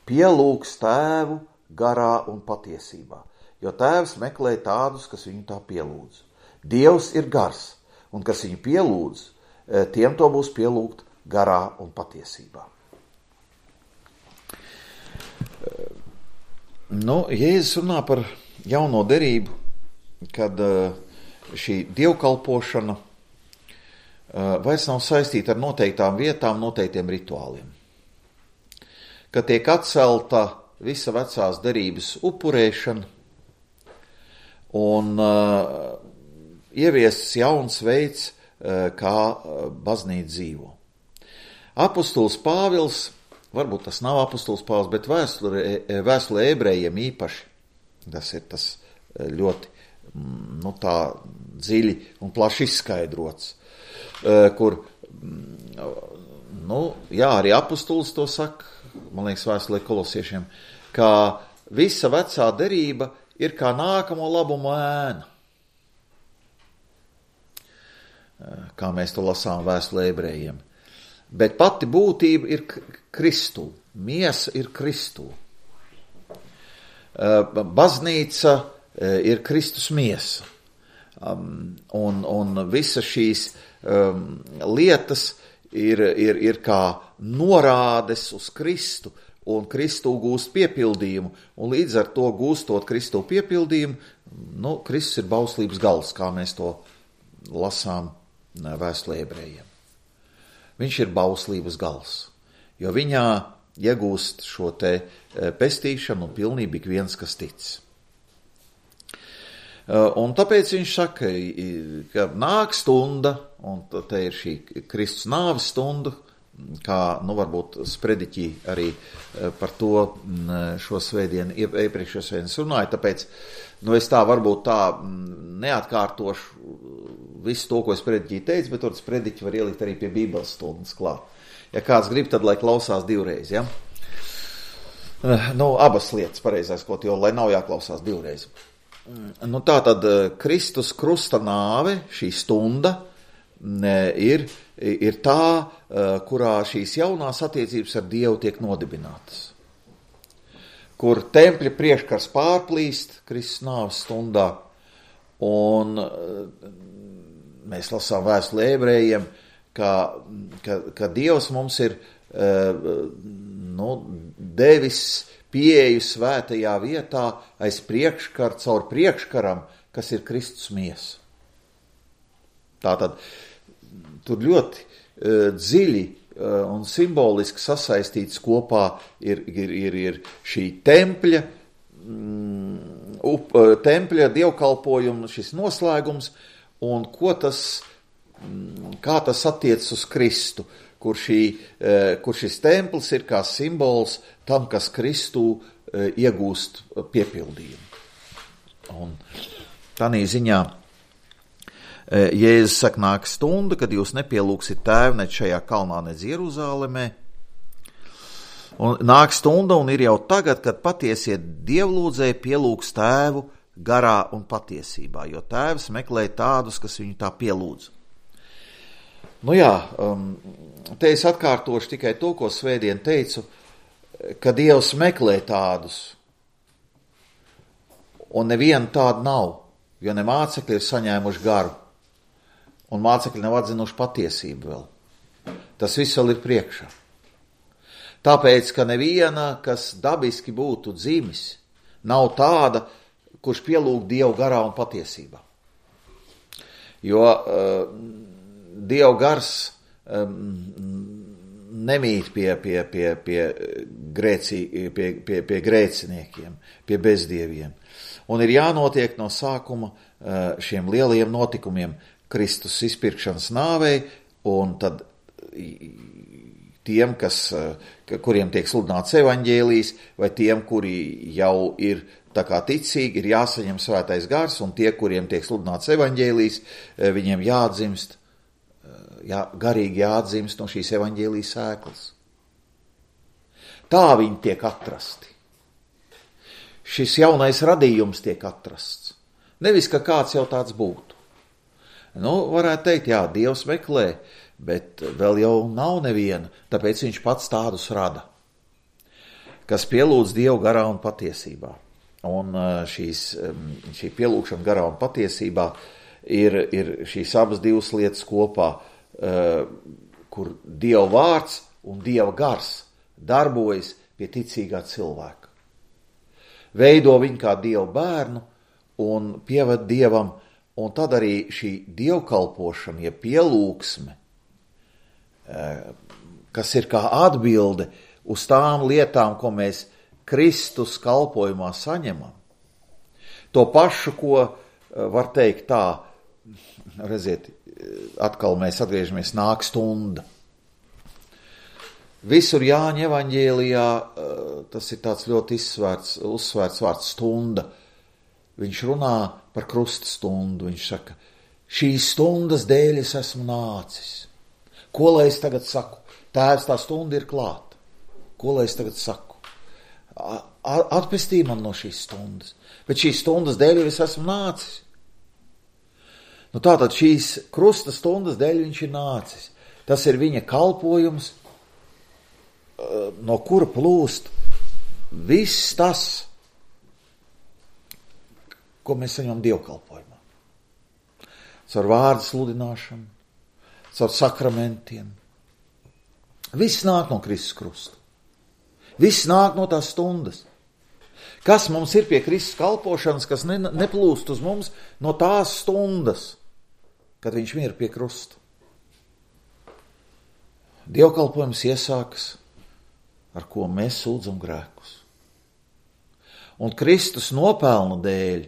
pielūgs tēvu garā un patiesībā, jo tēvs meklē tādus, kas viņu tā pielūdz. Dievs ir gars, un kas viņu pielūdz, tiem to būs pielūgt garā un patiesībā. Nu, Jēzus runā par jauno derību, kad šī dievkalpošana vairs nav saistīta ar noteiktām vietām, noteiktiem rituāliem. Kad tiek atcelta visa vecās derības upurēšana un uh, ieviests jauns veids, uh, kā baznīca dzīvo. Apustulis Pāvils, varbūt tas nav apustulis Pāvils, bet vēstule, vēstule ebrejiem īpaši, tas ir tas ļoti, nu, tā dziļi un plaši izskaidrots, kur, nu, jā, arī apustulis to saka, man liekas, vēstulē kolosiešiem, ka visa vecā derība ir kā nākamo labumu ēna. Kā mēs to lasām vēstulē ebrejiem. Bet pati būtība ir Kristu, miesa ir Kristu. Baznīca ir Kristus miesa. Un, un visas šīs um, lietas ir, ir, ir kā norādes uz Kristu, un Kristu gūst piepildījumu, un līdz ar to gūstot Kristu piepildījumu, nu, Kristus ir bauslības gals, kā mēs to lasām vēstulē ebrejiem. Viņš ir bauslības gals, jo viņā iegūst šo te pestīšanu un pilnību ik viens, kas tic. Un tāpēc viņš saka, ka nāk stunda, un te ir šī Kristus nāves stunda, kā, nu, varbūt sprediķi arī par to šo svētdienu, iepriekšējo svētdienu runāja, tāpēc, nu, es tā varbūt tā neatkārtošu visu to, ko sprediķi teica, bet tur sprediķi var ielikt arī pie Bībeles stundas klāt. Ja kāds grib, tad lai klausās divreiz, ja? Nu, abas lietas pareizais, ko jo, lai nav jāklausās divreiz. Nu, tā tad Kristus krusta nāve, šī stunda, ir, ir tā, kurā šīs jaunās attiecības ar Dievu tiek nodibinātas. Kur tempļa priekškars pārplīst Kristus nāves stundā, un mēs lasām vēstuli ebrejiem, ka, ka, ka Dievs mums ir nu, devis pieeju svētajā vietā aiz priekškara, caur priekškaram, kas ir Kristus miesa. Tātad tur ļoti uh, dziļi uh, un simboliski sasaistīts kopā ir, ir, ir, ir šī tempļa, mm, up, uh, tempļa dievkalpojuma šis noslēgums un ko tas, mm, kā tas attiec uz Kristu, kur, šī, uh, kur šis templis ir kā simbols tam, kas Kristū uh, iegūst piepildījumu. Un tādā ziņā Jēzus saka, nāk stunda, kad jūs nepielūgsit tēvu ne šajā kalnā, ne Jeruzālemē. Un nāk stunda un ir jau tagad, kad patiesie dievlūdzēji pielūgs tēvu garā un patiesībā, jo tēvs meklē tādus, kas viņu tā pielūdz. Nu jā, te es atkārtošu tikai to, ko svētdien teicu, ka Dievs meklē tādus, un neviena tāda nav, jo ne mācekļi ir saņēmuši garu. Un mācekļi nav atzinuši patiesību vēl. Tas viss vēl ir priekšā. Tāpēc, ka neviena, kas dabiski būtu dzimis, nav tāda, kurš pielūg Dievu garā un patiesībā. Jo uh, Dievu gars um, nemīt pie, pie, pie, pie, grēcī, pie, pie, pie grēciniekiem, pie bezdieviem. Un ir jānotiek no sākuma uh, šiem lielajiem notikumiem, Kristus izpirkšanas nāvei, un tad tiem, kas, kuriem tiek sludināts evaņģēlijs, vai tiem, kuri jau ir tā kā ticīgi, ir jāsaņem svētais gars, un tie, kuriem tiek sludināts evaņģēlijs, viņiem jāatdzimst, jā, garīgi jāatdzimst no šīs evaņģēlijas sēklas. Tā viņi tiek atrasti. Šis jaunais radījums tiek atrasts. Nevis, ka kāds jau tāds būtu. Nu, varētu teikt, jā, Dievs meklē, bet vēl jau nav neviena, tāpēc viņš pats tādus rada, kas pielūdz Dievu garā un patiesībā. Un šīs, šī pielūgšana garā un patiesībā ir, ir šīs abas divas lietas kopā, kur Dieva vārds un Dieva gars darbojas pie ticīgā cilvēka. Veido viņu kā Dieva bērnu un pieved Dievam. Un tad arī šī dievkalpošana, ja pielūgsme, kas ir kā atbilde uz tām lietām, ko mēs Kristus kalpojumā saņemam. To pašu, ko var teikt tā, redziet, atkal mēs atgriežamies, nāk stunda. Visur Jāņa evaņģēlijā tas ir tāds ļoti izsvērts, uzsvērts vārds stunda. Viņš runā par krusta stundu. Viņš saka, šīs stundas dēļ es esmu nācis. Ko lai es tagad saku? Tēvs, tā stunda ir klāta. Ko lai es tagad saku? Atpestī man no šīs stundas. Bet šīs stundas dēļ es esmu nācis. Nu tātad šīs krusta stundas dēļ viņš ir nācis. Tas ir viņa kalpojums, no kura plūst viss tas, ko mēs saņemam dievkalpojumā. Caur vārdu sludināšanu, caur sakramentiem, Viss nāk no Kristus krusta. Viss nāk no tās stundas. Kas mums ir pie Kristus kalpošanas, kas ne, neplūst uz mums no tās stundas, kad viņš mira pie krusta. Dievkalpojums iesākas, ar ko mēs sūdzam grēkus. Un Kristus nopelna dēļ,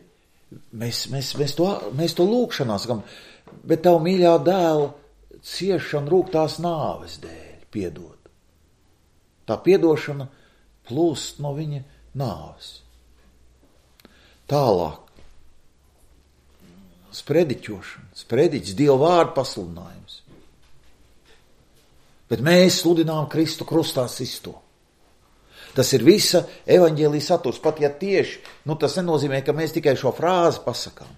mēs, mēs, mēs, to, mēs to lūkšanā sakam, bet tavu mīļā dēla ciešana rūgtās nāves dēļ piedod. Tā piedošana plūst no viņa nāves. Tālāk. Sprediķošana, sprediķis, Dieva vārdu pasludinājums. Bet mēs sludinām Kristu krustā sisto. Tas ir visa evaņģēlija saturs, pat ja tieši, nu tas nenozīmē, ka mēs tikai šo frāzi pasakām,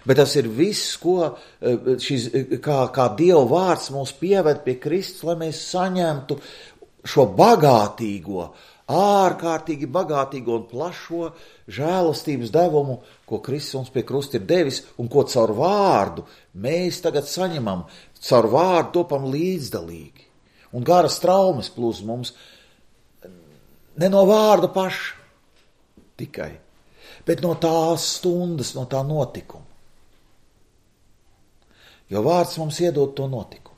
bet tas ir viss, ko šis, kā, kā Dieva vārds mūs pieved pie Kristus, lai mēs saņemtu šo bagātīgo, ārkārtīgi bagātīgo un plašo žēlastības devumu, ko Kristus mums pie krusta ir devis un ko caur vārdu mēs tagad saņemam, caur vārdu topam līdzdalīgi. Un garas traumas plūs mums ne no vārda paša tikai, bet no tās stundas, no tā notikuma. Jo vārds mums iedod to notikumu.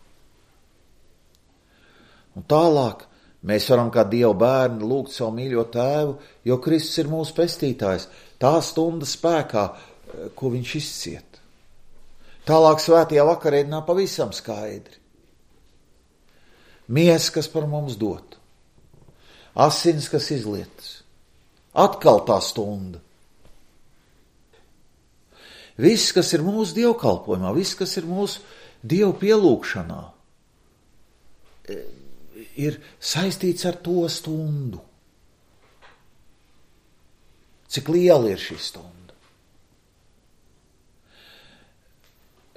Un tālāk mēs varam kā Dieva bērni lūgt savu mīļo tēvu, jo Kristus ir mūsu pestītājs, tā stunda spēkā, ko viņš izciet. Tālāk svētajā vakarēdienā pavisam skaidri. Miesa, kas par mums dot, asins, kas izlietas, atkal tā stunda. Viss, kas ir mūsu dievkalpojumā, viss, kas ir mūsu Dievu pielūgšanā, ir saistīts ar to stundu. Cik liela ir šī stunda?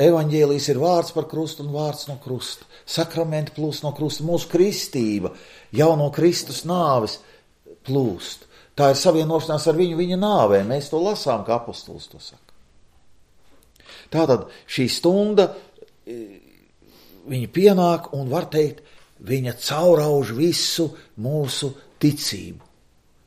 Evaņģēlijs ir vārds par krustu un vārds no krusta. Sakramenti plūst no krusta. Mūsu kristība jau no Kristus nāves plūst. Tā ir savienošanās ar viņu viņa nāvē. Mēs to lasām, kā apostols to saka. Tātad šī stunda, viņa pienāk un var teikt, viņa caurauž visu mūsu ticību.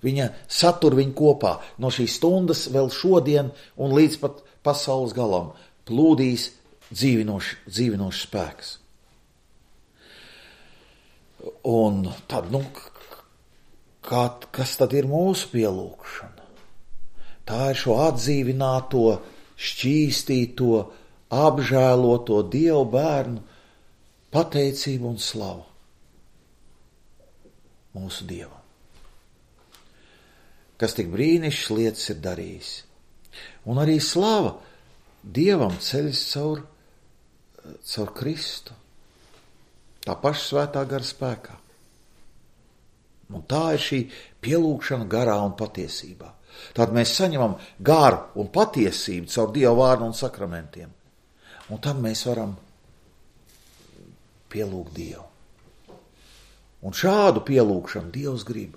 Viņa satur viņu kopā. No šīs stundas vēl šodien un līdz pat pasaules galam plūdīs dzīvinošs, dzīvinošs spēks. Un tad, nu, kā, kas tad ir mūsu pielūgšana? Tā ir šo atdzīvināto, šķīstīto, apžēloto Dievu bērnu pateicību un slavu mūsu Dievam, kas tik brīnišķas lietas ir darījis. Un arī slava Dievam ceļas caur, caur Kristu, tā paša svētā gara spēkā. Un tā ir šī pielūgšana garā un patiesībā. Tad mēs saņemam garu un patiesību caur Dieva vārdu un sakramentiem. Un tad mēs varam pielūgt Dievu. Un šādu pielūgšanu Dievs grib.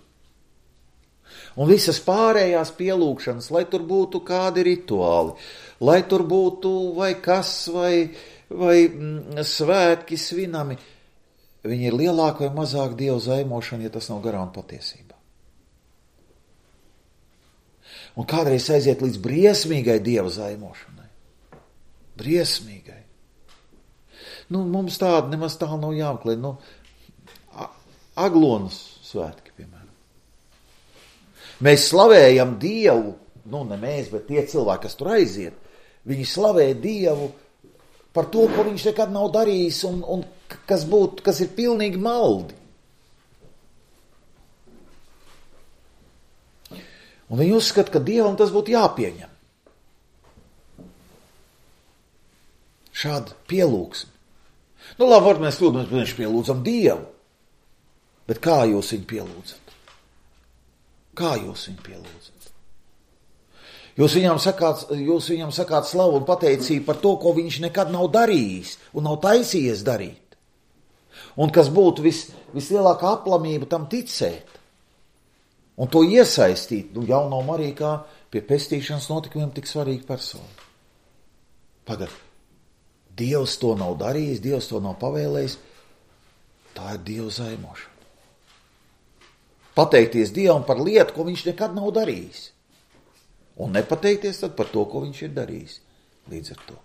Un visas pārējās pielūgšanas, lai tur būtu kādi rituāli, lai tur būtu vai kas, vai, vai mm, svētki svinami, viņi ir lielāka vai mazāk Dieva zaimošana, ja tas nav garā un patiesībā. Un kādreiz aiziet līdz briesmīgai Dieva zaimošanai. Briesmīgai. Nu, mums tāda nemaz tālu nav jāmeklē. Nu, Aglonas svētki, piemēram. Mēs slavējam Dievu, nu ne mēs, bet tie cilvēki, kas tur aiziet, viņi slavē Dievu par to, ko viņš nekad nav darījis un, un kas, būt, kas ir pilnīgi maldi. Un viņi uzskata, ka Dievam tas būtu jāpieņem. Šāda pielūgsme. Nu labi, var mēs lūdzu, mēs pielūdzam Dievu, bet kā jūs viņu pielūdzat? Kā jūs viņu pielūdzat? Jūs viņam sakāt, jūs viņam sakāt slavu un pateicību par to, ko viņš nekad nav darījis un nav taisījies darīt. Un kas būtu vis, vislielākā aplamība tam ticēt. Un to iesaistīt, nu jau nav Marija kā pie pestīšanas notikumiem tik svarīga persona. Pagad, Dievs to nav darījis, Dievs to nav pavēlējis, tā ir Dieva zaimošana. pateikties Dievam par lietu, ko viņš nekad nav darījis. Un nepateikties tad par to, ko viņš ir darījis. Līdz ar to.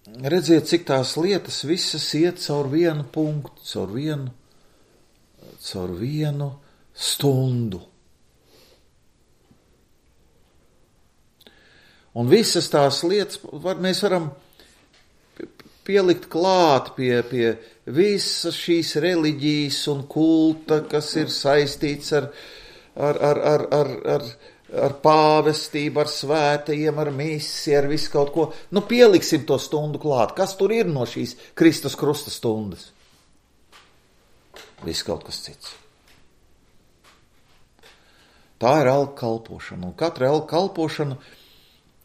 Redziet, cik tās lietas visas iet caur vienu punktu, caur vienu, caur vienu stundu. Un visas tās lietas var, mēs varam pielikt klāt pie, pie visas šīs reliģijas un kulta, kas ir saistīts ar, ar, ar, ar, ar, ar, ar pāvestību, ar svētajiem, ar misi, ar visu kaut ko. Nu, pieliksim to stundu klāt. Kas tur ir no šīs Kristus krusta stundas? Viss kaut kas cits. Tā ir elku kalpošana, un katra elku kalpošana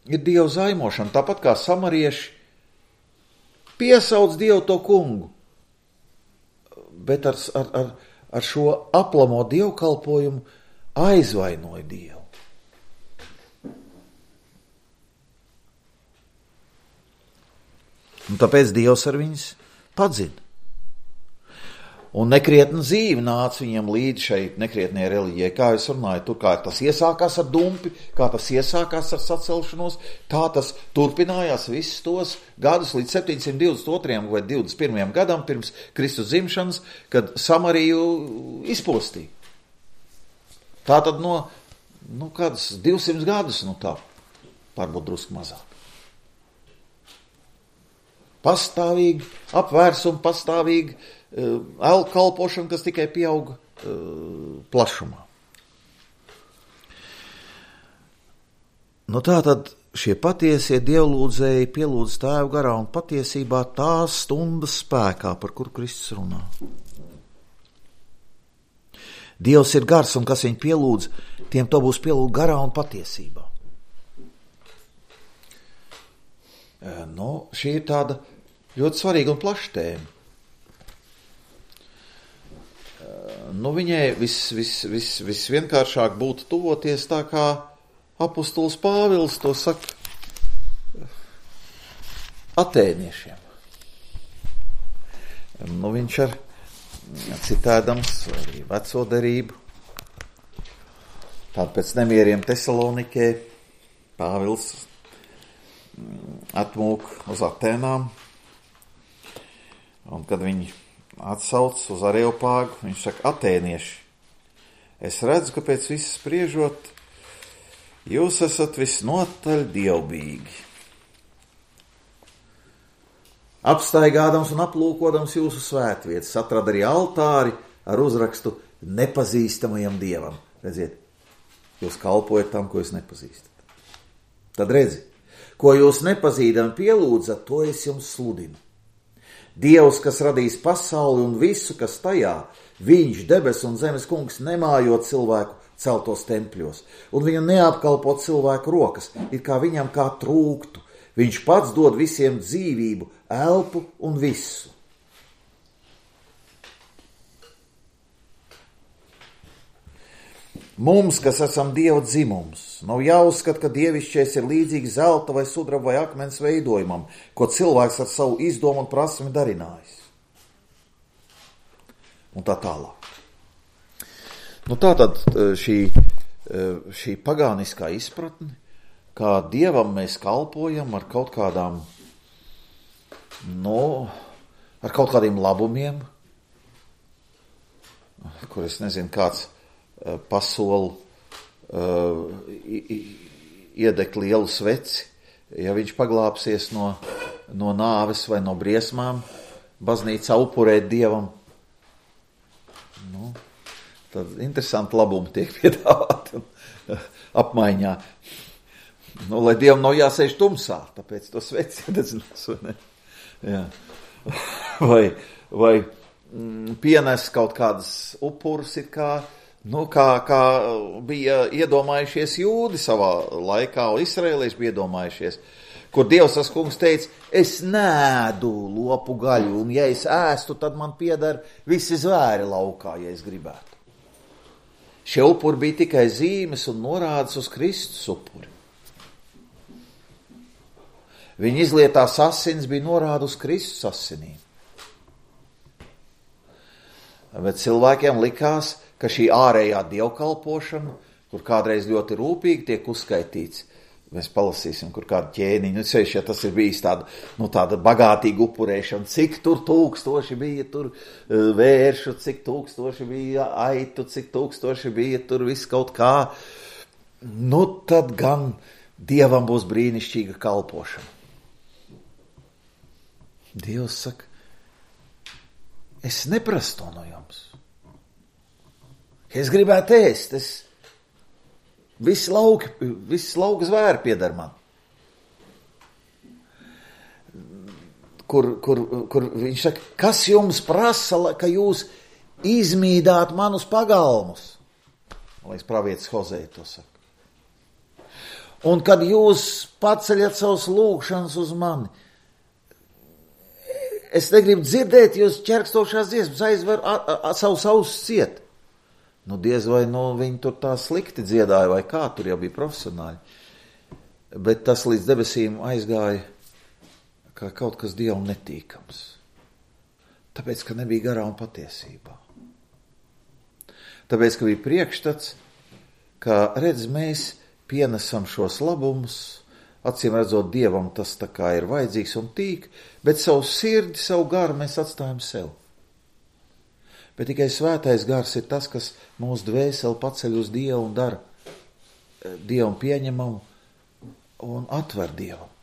ir Dievu zaimošana, tāpat kā samarieši piesauc Dievu to kungu, bet ar, ar, ar, ar šo aplamo dievkalpojumu aizvainoja Dievu. Un tāpēc Dievs ar viņus padzina. Un nekrietna dzīve nāca viņam līdz šeit nekrietnie reliģijai, kā es runāju, tur kā tas iesākās ar dumpi, kā tas iesākās ar sacelšanos, tā tas turpinājās visus tos gadus līdz septiņsimt divdesmit otrajam vai divdesmit pirmajam gadam pirms Kristus dzimšanas, kad Samariju izpostīja. Tā tad no, nu, kādas divsimt gadus, nu tā, varbūt drusku mazāk. Pastāvīgi apvērsumi, pastāvīgi uh, elku kalpošana, kas tikai pieauga uh, plašumā. Nu tā tad šie patiesie dievlūdzēji pielūdz Tēvu garā un patiesībā tās stundas spēkā, par kuru Kristus runā. Dievs ir gars, un kas viņu pielūdz, tiem to būs pielūgt garā un patiesībā. Nu, šī ir tāda ļoti svarīga un plaša tēma. Nu, viņai vis, vis, vis, visvienkāršāk būtu tuvoties tā kā apostols Pāvils to saka atēniešiem. Nu, viņš ar citēdams arī veco derību, tād pēc nemieriem Tesalonikē, Pāvils atmūk uz Atēnām, un kad viņi atsauc uz Areopāgu, viņš saka, atēnieši, es redzu, ka pēc visas spriežot, jūs esat visnotaļ dievbīgi. Apstaigādams un aplūkodams jūsu svētvietas, atrada arī altāri ar uzrakstu nepazīstamajam dievam. Redziet, jūs kalpojat tam, ko jūs nepazīstat. Tad redzi, ko jūs nepazīdami pielūdzat, to es jums sludinu. Dievs, kas radīs pasauli un visu, kas tajā, viņš, debes un zemes kungs, nemājot cilvēku celtos tempļos, un viņu neapkalpo cilvēku rokas, it kā viņam kā trūktu. Viņš pats dod visiem dzīvību, elpu un visu. Mums, kas esam Dieva dzimums, nav jāuzskata, ka dievišķais ir līdzīgs zelta vai sudraba vai akmens veidojumam, ko cilvēks ar savu izdomu un prasmi darinājis. Un tā tālāk. Nu tā tad šī, šī pagāniskā izpratne, kā Dievam mēs kalpojam ar kaut kādām, nu, ar kaut kādiem labumiem, kur es nezinu, kāds pasolu uh, iedegt lielu sveci, ja viņš paglāpsies no, no nāves vai no briesmām, baznīca upurēt Dievam. Nu, tad interesanti labumi tiek piedāvāti apmaiņā. Nu, lai Dievam nav jāsēž tumsā, tāpēc to sveci iededzinās, vai ne? Jā. Vai, vai mm, pienes kaut kādas upurus ir kā Nu, kā, kā bija iedomājušies jūdi savā laikā, un izraēlieši bija iedomājušies, kur Dievs tas kungs teica, es nēdu lopu gaļu, un ja es ēstu, tad man pieder visi zvēri laukā, ja es gribētu. Šie upuri bija tikai zīmes un norādes uz Kristus upuri. Viņa izlietās asins bija norāda uz Kristus asinīm. Bet cilvēkiem likās, ka šī ārējā dievkalpošana, kur kādreiz ļoti rūpīgi tiek uzskaitīts, mēs palasīsim, kur kādu ķēniņu, nu, sevišķi, ja tas ir bijis tāda, nu, tāda bagātīga upurēšana, cik tur tūkstoši bija tur vēršu, cik tūkstoši bija aitu, cik tūkstoši bija tur viss kaut kā, nu, tad gan Dievam būs brīnišķīga kalpošana. Dievs saka, es neprasu to no jums. Es gribētu ēst, es visi lauki, visi lauka zvēri piedar man. Kur, kur, kur viņš saka, kas jums prasa, ka jūs izmīdāt manus pagalmus? Man liekas, pravietis Hozēja to saka. Un kad jūs paceļat savus lūgšanas uz mani, es negribu dzirdēt jūs ķerkstošās dziesmas, aizver a, a, a, savus ausis ciet. Nu, diez vai nu, viņi tur tā slikti dziedāja, vai kā, tur jau bija profesionāļi. Bet tas līdz debesīm aizgāja kā kaut kas Dievam netīkams. Tāpēc, ka nebija garā un patiesībā. Tāpēc, ka bija priekšstats, ka, redz, mēs pienesam šos labumus, acīm redzot, Dievam tas tā kā ir vajadzīgs un tīk, bet savu sirdi, savu garu mēs atstājam sev. Bet tikai svētais gars ir tas, kas mūsu dvēseli paceļ uz Dievu un dara Dievam pieņemamu un atver Dievam.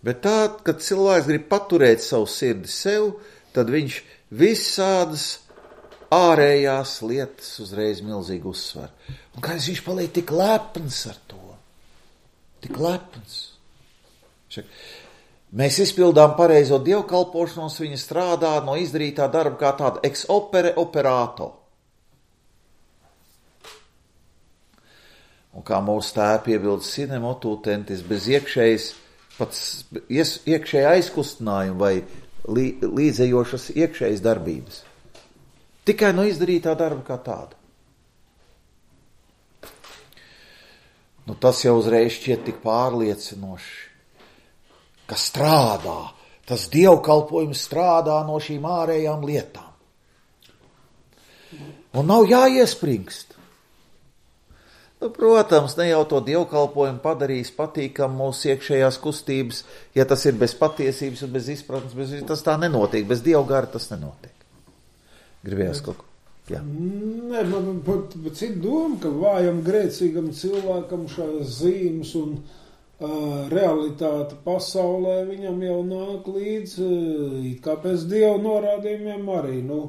Bet tā, kad cilvēks grib paturēt savu sirdi sev, tad viņš visādas ārējās lietas uzreiz milzīgi uzsver. Un kā viņš paliek tik lepns ar to? Tik lepns. Šak. Mēs izpildām pareizo dievkalpošanos, viņa strādā no izdarītā darba kā tāda ex opere operato. Un kā mūsu tēvi piebilda sine motu tentis, bez iekšējas, pats iekšēja aizkustinājuma vai līdzējošas iekšējas darbības. Tikai no izdarītā darba kā tāda. Nu, tas jau uzreiz šķiet tik pārliecinoši, ka strādā, tas dievkalpojums strādā no šīm ārējām lietām. Un nav jāiespringst. Nu, protams, ne jau to dievkalpojumu padarīs patīkam mūsu iekšējās kustības, ja tas ir bez patiesības un bez izpratnes, bez, tas tā nenotiek, bez dievgara tas nenotiek. Gribējās kaut ko? Jā. Nē, man pat cita doma, ka vājam grēcīgam cilvēkam šās zīmes un uh, realitāte pasaulē viņam jau nāk līdz, uh, it kā pēc Dieva norādījumiem arī, nu,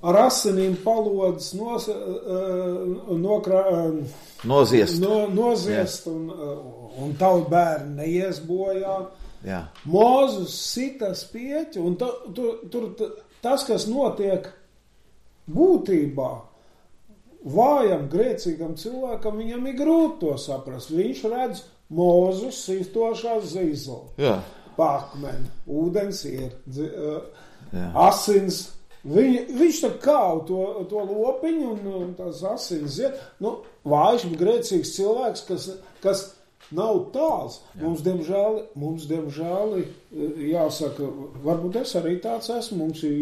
ar asinīm palodas nos, uh, nokrā, uh, noziest, no, noziest un, uh, un tavu bērni neies bojā. Jā. Mozus sita spieķi, un ta, tur, tur tas, kas notiek būtībā, vājam, grēcīgam cilvēkam, viņam ir grūti to saprast. Viņš redz Mozus sistošā zīzoli, pakmeni, ūdens ir, dzi, uh, asins. Viņ, viņš tā kāv to, to lopiņu un, un tās asins iet. Nu, vājš, grēcīgs cilvēks, kas, kas nav tāls. Mums, diemžēl, mums, diemžēl, jāsaka, varbūt es arī tāds esmu, mums ir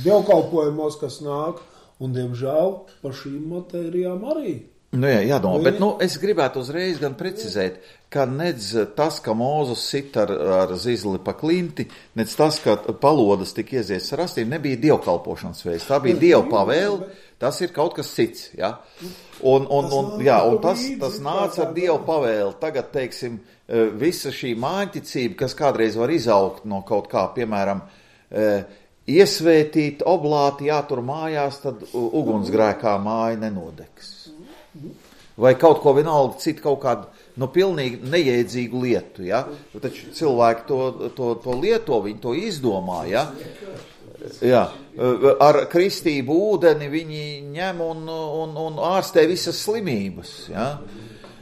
dievkalpojumos, kas nāk, un, diemžēl, par šīm matērijām arī. Nu jā, jādomā, bet nu, es gribētu uzreiz gan precizēt, ka nedz tas, ka Mozus sit ar, ar zizli pa klinti, nedz tas, ka palodas tik iezies ar astīm, nebija dievkalpošanas veids, tā bija dieva pavēle, tas ir kaut kas cits, ja? Un, un, un, jā, un tas, tas nāca ar dievu pavēli. Tagad, teiksim, visa šī māņticība, kas kādreiz var izaugt no kaut kā, piemēram, iesvētīt oblāti jātur mājās, tad ugunsgrēkā māja nenodegs. Vai kaut ko vienalga citu, kaut kādu, nu, pilnīgi nejēdzīgu lietu, ja? Taču cilvēki to, to, to lieto, viņi to izdomā, ja? Jā, ar kristību ūdeni viņi ņem un, un, un ārstē visas slimības, ja?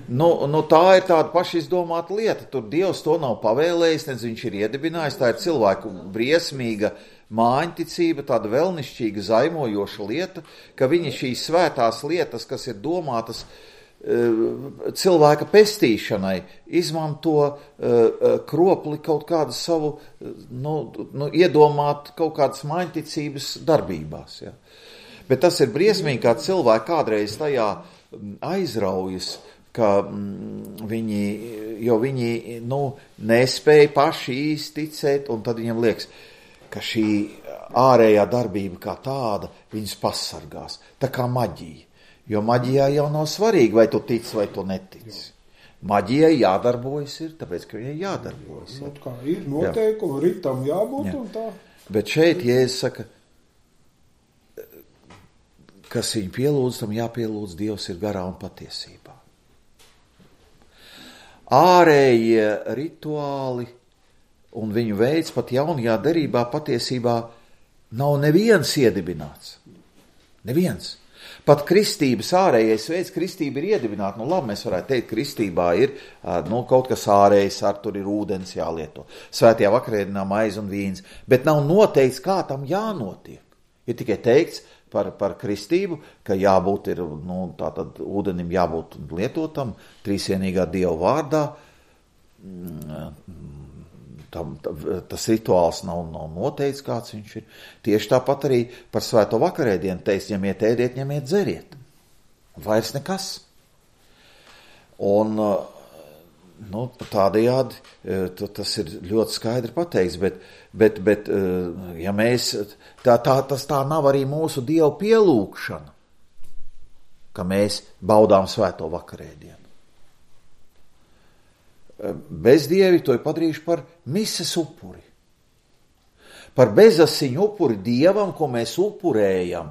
Nu, nu, tā ir tāda paša izdomāta lieta, tur Dievs to nav pavēlējis, nedz viņš ir iedibinājis, tā ir cilvēku briesmīga māņticība, tāda velnišķīga zaimojoša lieta, ka viņi šīs svētās lietas, kas ir domātas cilvēka pestīšanai izmanto kropli kaut kādu savu, nu, nu, iedomāt kaut kādas maiņticības darbībās. Ja. Bet tas ir briesmīgi, kā cilvēki kādreiz tajā aizraujas, ka viņi, jo viņi nu, nespēja paši īsti ticēt, un tad viņiem liekas, ka šī ārējā darbība kā tāda viņus pasargās, tā kā maģija. Jo maģijā jau nav svarīgi, vai tu tici, vai tu netici. Maģijai jādarbojas ir, tāpēc, ka viņai jādarbojas. Nu, kā ir noteikumi, ritam jābūt jā. Un tā. Bet šeit, ja es saka, kas viņu pielūdz, tam jāpielūdz, Dievs ir garā un patiesībā. Ārējie rituāli un viņu veids pat jaunajā derībā patiesībā nav neviens iedibināts. Neviens. Pat kristības ārējais veids, kristība ir iedibināta. Nu labi, mēs varētu teikt, kristībā ir nu, kaut kas ārējais, ar tur ir ūdens jālieto. Svētajā vakarēdienā maize un vīns. Bet nav noteikts, kā tam jānotiek. Ir tikai teikts par, par kristību, ka jābūt ir, nu, tātad ūdenim jābūt lietotam, trīsvienīgā Dieva vārdā. Tam, tas rituāls nav, nav noteikts, kāds viņš ir. Tieši tāpat arī par svēto vakarēdienu teiks, ņemiet, ēdiet, ņemiet, dzeriet. Vairs nekas. Un, nu, tādējādi tas ir ļoti skaidri pateikts, bet, bet, bet ja mēs, tā, tā, tas tā nav arī mūsu Dieva pielūgšana, ka mēs baudām svēto vakarēdienu. Bezdievi to ir padarījuši par mises upuri. Par bezasiņu upuri Dievam, ko mēs upurējam.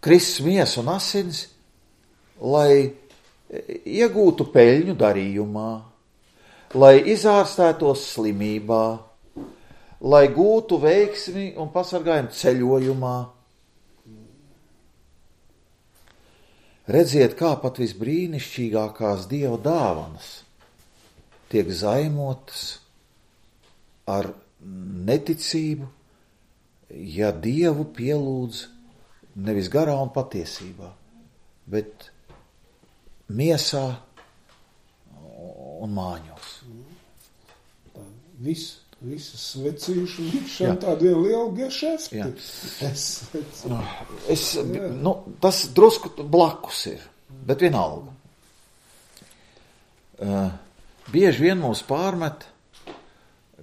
Kristus miesa un asins, lai iegūtu peļņu darījumā, lai izārstētos slimībā, lai gūtu veiksmi un pasargājumu ceļojumā. Redziet, kā pat visbrīnišķīgākās Dieva dāvanas tiek zaimotas ar neticību, ja Dievu pielūdz nevis garā un patiesībā, bet miesā un māņos. Viss. Visas svecīšu likšana tāda viena liela gešefti. Es, es, nu, tas drusku blakus ir, bet vienalga. Uh, bieži vien mūs pārmet,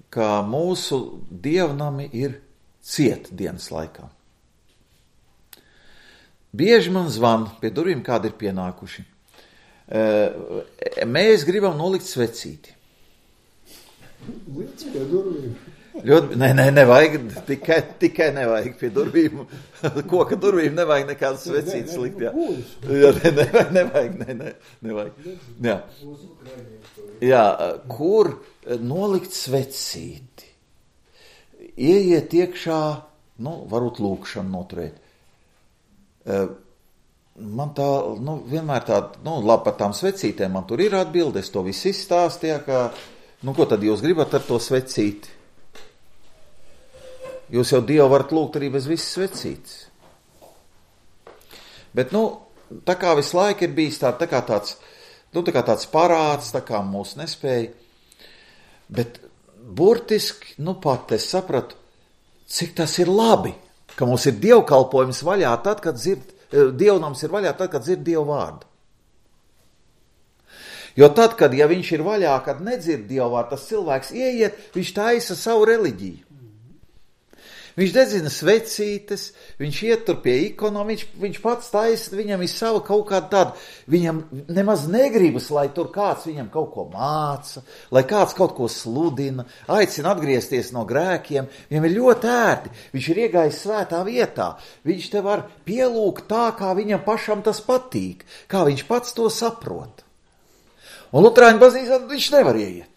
ka mūsu dievnami ir ciet dienas laikā. Bieži man zvan pie durvīm, kādi ir pienākuši. Uh, mēs gribam nolikt svecīti. Līdz pie durvīm. Ļoti, nē, nē, nevajag, tikai, tikai nevajag pie durvīm. Koka durvīm nevajag nekādas svecītas likt, jā. Jā, ne, nevajag, nevajag, ne, ne, nevajag. Jā. Jā, kur nolikt svecīti? Ieiet iekšā, nu, varbūt lūkšanu noturēt. Man tā, nu, vienmēr tā, nu, labi par tām svecītēm, man tur ir atbilde, es to visu izstāstīju, ka nu, ko tad jūs gribat ar to svecīti? Jūs jau Dievu varat lūgt arī bez visas svecītes. Bet, nu, tā kā visu laiku ir bijis tā, tā kā tāds, nu, tā kā tāds parāds, tā kā mūs nespēja. Bet burtiski, nu, pat es sapratu, cik tas ir labi, ka mums ir dievkalpojums vaļā tad, kad dzird, dievnams ir vaļā tad, kad dzird Dievu vārdu. Jo tad, kad, ja viņš ir vaļā, kad nedzird Dievu vārdu, tas cilvēks ieiet, viņš taisa savu reliģiju. Viņš dedzina svecītes, viņš iet tur pie ikonām, viņš, viņš pats taisa, viņam ir sava kaut kāda tāda, viņam nemaz negribas, lai tur kāds viņam kaut ko māca, lai kāds kaut ko sludina, aicina atgriezties no grēkiem, viņam ir ļoti ērti, viņš ir iegājis svētā vietā, viņš te var pielūgt tā, kā viņam pašam tas patīk, kā viņš pats to saprot. Un Luterāņu baznīcā viņš nevar ieiet.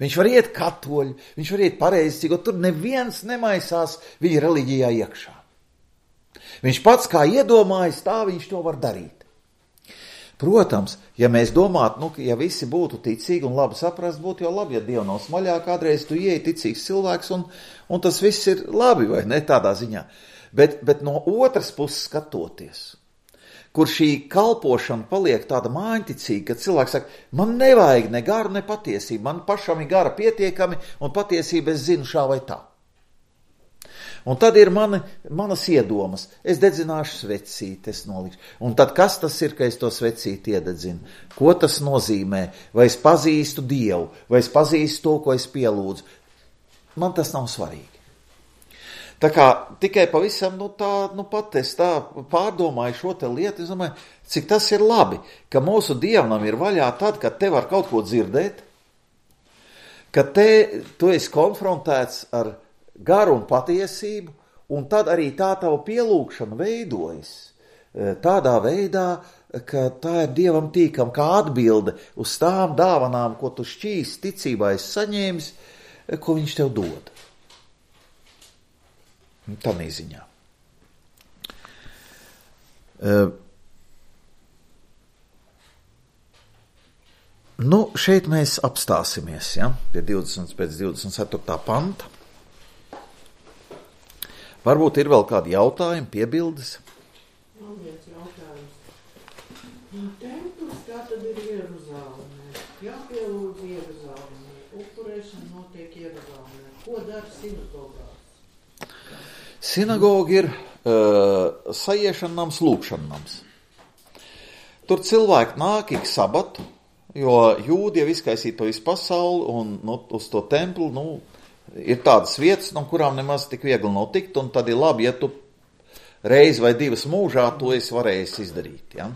Viņš var iet katoļu, viņš var iet pareizcīgo, tur neviens nemaisās viņa reliģijā iekšā. Viņš pats kā iedomājas, tā viņš to var darīt. Protams, ja mēs domātu, nu, ja visi būtu ticīgi un labi saprast, būtu jau labi, ja Dievu nav smaļā, kādreiz tu ieej ticīgs cilvēks un, un tas viss ir labi, vai ne, tādā ziņā. Bet, bet no otras puses skatoties, kur šī kalpošana paliek tāda māņticīga, ka cilvēks saka, man nevajag ne garu, ne patiesību, man pašam ir gara pietiekami, un patiesība es zinu šā vai tā. Un tad ir mani, manas iedomas, es dedzināšu svecīti, es nolikšu. Un tad kas tas ir, ka es to svecīti iededzinu? Ko tas nozīmē? Vai es pazīstu Dievu, vai es pazīstu to, ko es pielūdzu? Man tas nav svarīgi. Tā kā tikai pavisam, nu tā, nu pat es tā pārdomāju šo te lietu, es domāju, cik tas ir labi, ka mūsu Dievam ir vaļā tad, kad te var kaut ko dzirdēt, ka te tu esi konfrontēts ar garu un patiesību, un tad arī tā tava pielūgšana veidojas tādā veidā, ka tā ir Dievam tīkam kā atbilde uz tām dāvanām, ko tu šķīs ticībā esi saņēmis, ko viņš tev dod. Tā nīziņā. Uh, nu, šeit mēs apstāsimies, ja, pie divdesmit pēc divdesmit ceturtā panta. Varbūt ir vēl kādi jautājumi, piebildes? Man viens jautājums. Templis kā tad ir Jeruzālēmē? Jāpielūdz Jeruzālēmē. Upurēšana notiek Jeruzālēmē. Ko dara sinagogās? Sinagoga ir uh, sajiešana nams, lūkšana nams. Tur cilvēki nāk ik sabatu, jo jūdi jau izkaisīt pa visu pasauli, un nu, uz to templi, nu, ir tādas vietas, no kurām nemaz tik viegli nav tikt, un tad ir labi, ja tu reizi vai divas mūžā to esi varējis izdarīt. Ja?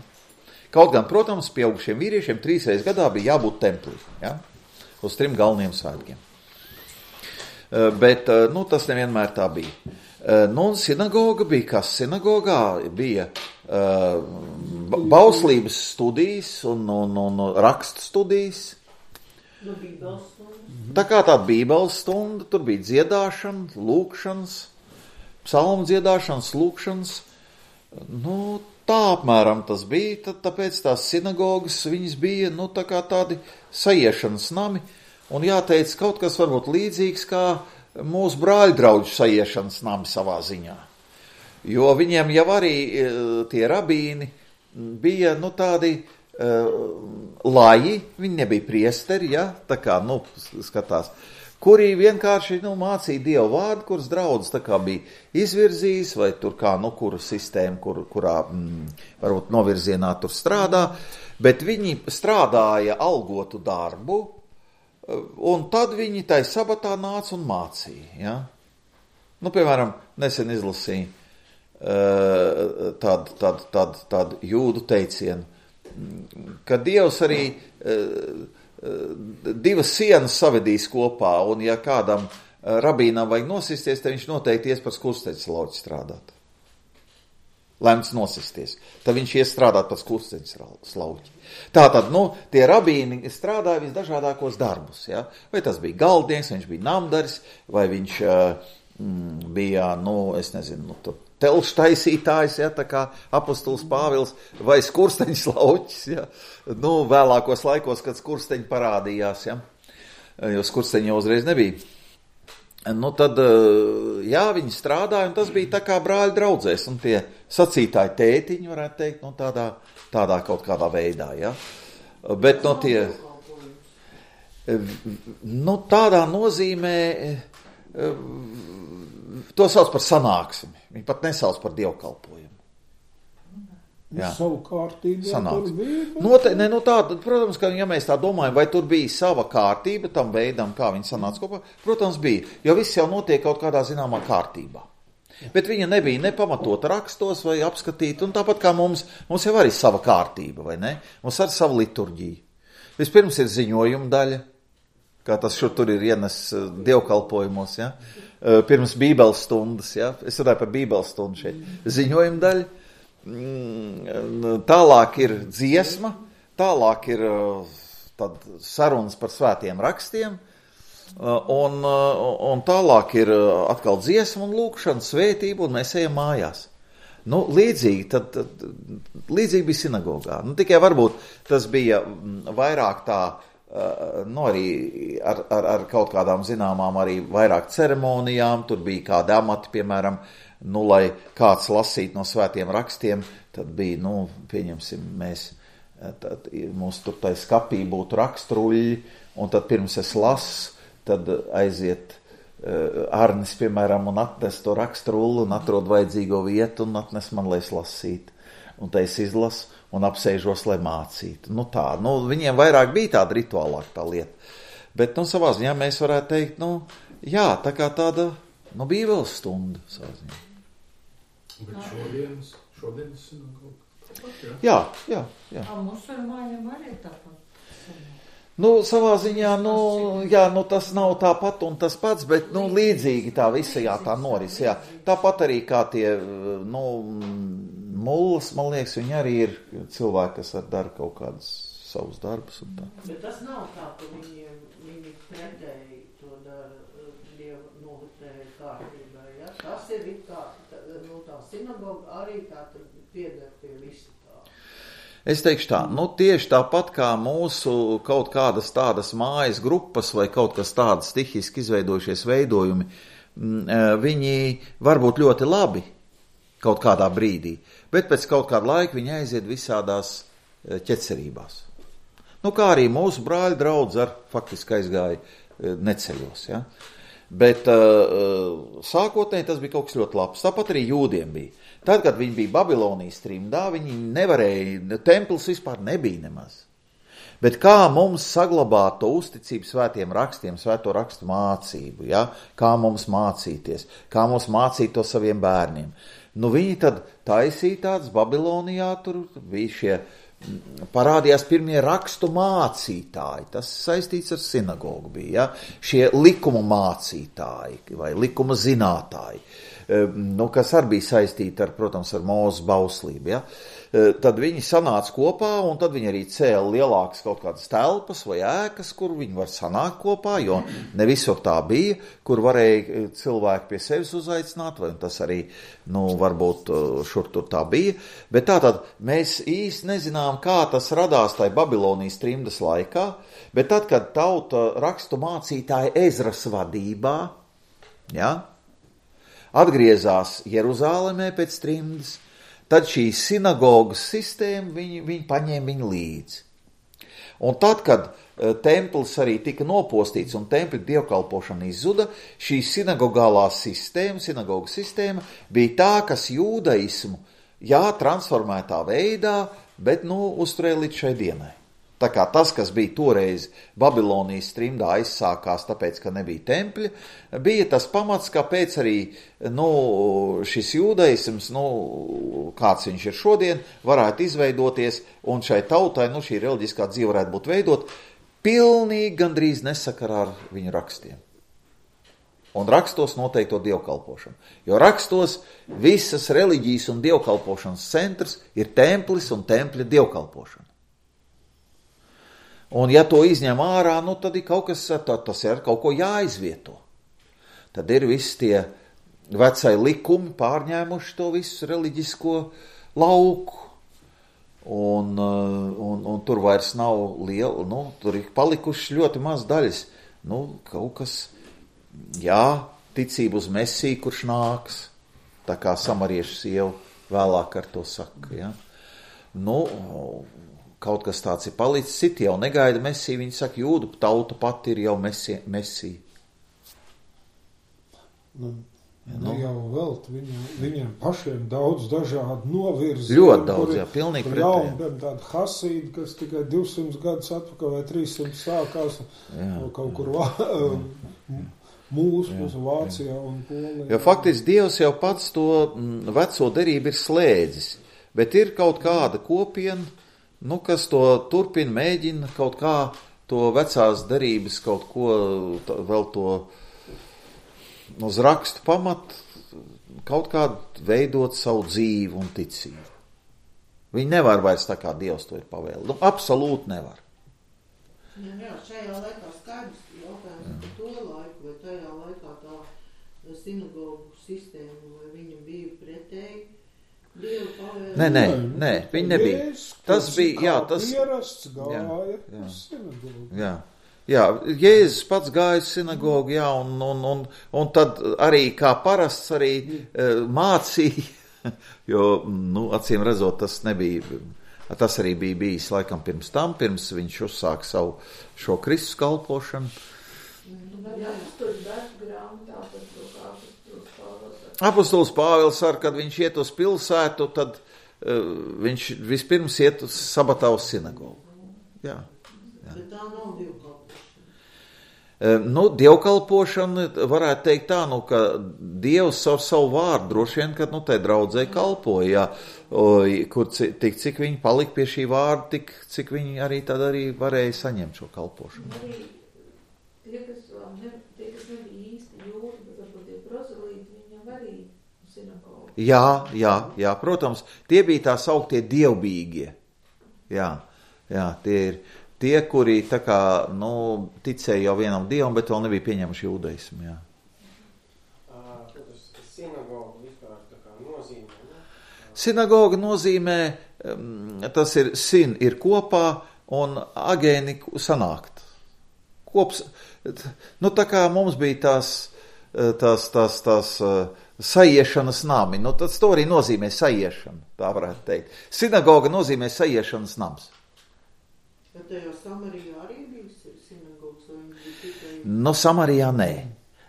Kaut gan, protams, pieaugušiem vīriešiem trīs reizes gadā bija jābūt templī, ja? Uz trim galveniem svētkiem. Uh, bet, uh, nu, tas nevienmēr tā bija. Nu, un sinagoga bija kas? Sinagogā bija uh, bauslības studijas un, un, un rakstu studijas. Nu, bībeles stunda. Tā kā tāda bībeles stunda, tur bija dziedāšana, lūkšanas, psalmu dziedāšanas, lūkšanas. Nu, tā apmēram tas bija, tad, tāpēc tās sinagogas, viņas bija, nu, tā kā tādi saiešanas nami. Un jāteic, kaut kas varbūt līdzīgs kā mūsu brāļdraudžu saiešanas nami savā ziņā. Jo viņiem jau arī tie rabīni bija, nu, tādi uh, laji, viņi nebija priesteri, ja, tā kā, nu, skatās, kuri vienkārši, nu, mācīja Dievu vārdu, kuras draudzes tā kā bija izvirzījis, vai tur kā, nu, kuru sistēmu, kur, kurā, mm, varbūt novirzienā tur strādā, bet viņi strādāja algotu darbu, un tad viņi tai sabatā nāca un mācīja. Ja? Nu, piemēram, nesen izlasīja uh, tādu, tādu, tādu, tādu jūdu teicienu, ka Dievs arī uh, divas sienas savedīs kopā, un ja kādam rabīnam vajag nosisties, tad viņš noteikti ies par skursteņa slauķi strādāt. Lemts nosisties. Tad viņš ies strādāt par skursteņa slauķi. Tātad, nu, tie rabīni strādāja visdažādākos darbus, ja? Vai tas bija galdnieks, vai viņš bija namdaris, vai viņš mm, bija, nu, es nezinu, nu, tur telšu taisītājs, ja, tā kā apostols Pāvils, vai skursteņa slauķis, ja? Nu, vēlākos laikos, kad skursteņi parādījās, ja? Jo skursteņi jau uzreiz nebija. Nu, tad, jā, viņi strādāja, un tas bija tā kā brāļi draudzēs, un tie sacītāji tētiņi, varētu teikt, nu, tādā, tādā kaut kādā veidā, ja. Bet, no tie, nu, tādā nozīmē, to sauc par sanāksmi, viņi pat nesauc par dievkalpojumu. Jā. Savu kārtību Sanāks. Tur bija. Note, ne, nu tā, protams, ka ja mēs tā domājam, vai tur bija sava kārtība tam veidam, kā viņi sanāca kopā, protams bija, jo viss jau notiek kaut kādā zināmā kārtībā. Bet viņa nebija nepamatota rakstos vai apskatīta, un tāpat kā mums, mums jau arī sava kārtība, vai ne? Mums arī sava liturģija. Vispirms ir ziņojuma daļa, kā tas šur tur ir ienes dievkalpojumos, ja? Pirms bībeles stundas, ja? Es runāju par bībeles stundu šeit. Ziņojuma daļa. Tālāk ir dziesma, tālāk ir tad sarunas par svētiem rakstiem, un, un tālāk ir atkal dziesma un lūkšana, svētība, un mēs ejam mājās. Nu, līdzīgi, tad, tad, līdzīgi bija sinagogā. Nu, tikai varbūt tas bija vairāk tā nu, arī ar, ar, ar kaut kādām zināmām arī vairāk ceremonijām, tur bija kādi amati, piemēram, nu, lai kāds lasīt no svētiem rakstiem, tad bija, nu, pieņemsim, mēs, tad, mums tur tai skapī būtu rakstruļi, un tad pirms es lasu, tad aiziet uh, Arnis, piemēram, un atnes to rakstrulli un atrod vajadzīgo vietu un atnes man, lai es lasītu. Un tā es izlasu un apsēžos, lai mācītu. Nu tā, nu viņiem vairāk bija tāda rituālāka tā lieta. Bet, nu, savā ziņā mēs varētu teikt, nu, jā, tā kā tāda, nu, bībeles stunda savā ziņā. Bet šodienas, šodienas sinagoga tāpat, jā? Jā, jā, jā. A musulmaņiem arī tāpat. Nu, savā ziņā, nu, jā, nu, tas nav tāpat un tas pats, bet, nu, līdzīgi tā visa, jā, tā noris, jā. Tāpat arī kā tie, nu, mullas, man liekas, viņi arī ir cilvēki, kas ar dara kaut kādus savus darbus un tā. Bet tas nav tā, ka viņiem, viņi pretēji to dara Dieva noliktēju kārtībā, ja? Tas ir kā, nu, tā sinagoga arī tā pieder pie visa. Es teikšu tā, nu tieši tāpat kā mūsu kaut kādas tādas mājas grupas vai kaut kas tādas stihiski izveidojušies veidojumi, viņi var būt ļoti labi kaut kādā brīdī, bet pēc kaut kāda laika viņi aiziet visādās ķecerībās. Nu kā arī mūsu brāļi draudz ar faktiski aizgāja neceļos, ja? Bet uh, sākotnēji tas bija kaut kas ļoti labs, tāpat arī jūdiem bija. Tad, kad viņi bija Babilonijas trimdā, viņi nevarēja, templis vispār nebija nemaz. Bet kā mums saglabāt to uzticību svētiem rakstiem, svēto rakstu mācību, ja? Kā mums mācīties, kā mums mācīt to saviem bērniem. Nu, viņi tad taisīja tāds Babilonijā, tur bija šie, parādījās pirmie rakstu mācītāji, tas saistīts ar sinagogu bija, ja? Šie likuma mācītāji vai likuma zinātāji. Nu, kas arī bija saistīti ar, protams, ar Mūzes bauslību, ja? Tad viņi sanāca kopā, un tad viņi arī cēla lielākas kaut kādas telpas vai ēkas, kur viņi var sanākt kopā, jo ne visur tā bija, kur varēja cilvēki pie sevis uzaicināt, vai tas arī, nu, varbūt šur tur tā bija. Bet tātad mēs īsti nezinām, kā tas radās tai Babilonijas trimdas laikā, bet tad, kad tauta rakstu mācītāja Ezras vadībā, ja, atgriezās Jeruzālemē pēc trimdas, tad šī sinagogas sistēma, viņi, viņi paņēma viņu līdzi. Un tad, kad templis arī tika nopostīts un tempļa dievkalpošana izzuda, šī sinagogālā sistēma, sinagogas sistēma bija tā, kas jūdaismu, jā, transformētā veidā, bet, nu, uzturēja līdz šai dienai. Tā kā tas, kas bija toreiz Babilonijas trimdā aizsākās, tāpēc, ka nebija tempļa, bija tas pamats, kāpēc arī, nu, šis jūdaisms, nu, kāds viņš ir šodien, varētu izveidoties, un šai tautai, nu, šī reliģiskā dzīve varētu būt veidot, pilnīgi gandrīz nesakarā ar viņu rakstiem. Un rakstos noteikto dievkalpošanu. Jo rakstos visas reliģijas un dievkalpošanas centrs ir templis un tempļa dievkalpošana. Un ja to izņem ārā, nu tad ir kaut kas, tas ir kaut ko jāizvieto. Tad ir visi tie vecai likumi pārņēmuši to visu reliģisko lauku. Un, un, un tur vairs nav liela, nu, tur ir palikuši ļoti maz daļas. Nu, kaut kas, jā, ticība uz Mesiju, kurš nāks, tā kā samariešu sieva vēlāk ar to saka, ja. Nu, kaut kas tāds ir palicis, citi jau negaida Mesiju, viņi saka, jūdu tauta pati ir jau Mesija. mesija. Nu, nu, jau vēl viņu, viņiem pašiem daudz dažādu novirzi. Ļoti daudz, jā, pilnīgi pretēji. Jā, un tāda hasīda, kas tikai divsimt gadus atpakaļ vai trīssimt sākās jā, kaut kur vā, mūsu, mūsu Vācijā un Polijā. Jo faktiski Dievs jau pats to veco derību ir slēdzis, bet ir kaut kāda kopiena, nu, kas to turpina, mēģina kaut kā to vecās derības, kaut ko tā, vēl to uz rakstu pamat, kaut kā veidot savu dzīvi un ticību. Viņi nevar vairs tā kā Dievs to ir pavēlējis. Nu, absolūti nevar. Jā, jā, šajā laikā skaidrs jautājums par to laiku, vai tajā laikā tā sinagogu sistēma, vai viņa bija pretēji Nē, nē, nē, viņi nebija. Tas bija, jā, tas... Ierasts gāja jā, jā. uz sinagogu. Jā, jā, Jēzus pats gāja uz sinagogu, jā, un, un, un, un tad arī kā parasts arī uh, mācīja, jo, nu, acīm redzot, tas nebija, tas arī bija bijis laikam pirms tam, pirms viņš uzsāka savu šo Kristus kalpošanu. Apostols Pāvils ar, kad viņš iet uz pilsētu, tad uh, viņš vispirms iet uz sabatā uz sinagogu. Jā. Jā. Bet tā nav dievkalpošana. Uh, nu, dievkalpošana varētu teikt tā, nu, ka Dievs savu, savu vārdu droši vien, kad, nu, tai draudzē kalpoja, jā, o, kur tik, cik viņi palika pie šī vārda, tik, cik viņi arī tad arī varēja saņemt šo kalpošanu. Arī tie, kas, ne, tie, kas nebija īsti jūri, bet varbūt tie prozelīti, viņam arī sinagogu. Jā, jā, jā, protams, tie bija tā sauktie dievbīgie. Jā, jā, tie ir tie, kuri tā kā, nu, ticēja jau vienam dievam, bet vēl nebija pieņemuši jūdaismu, jā. Sinagoga vispār tā kā nozīmē, ne? Sinagoga nozīmē, tas ir sin ir kopā un agēni sanākt. Kops, nu tā kā mums bija tās, tās, tās, tās saiešanas nami, nu tas to arī nozīmē saiešana, tā varētu teikt. Sinagoga nozīmē saiešanas nams. Bet tajā Samarijā arī bija sinagogas, vai viņi bija tikai... Nu, Samarijā nē.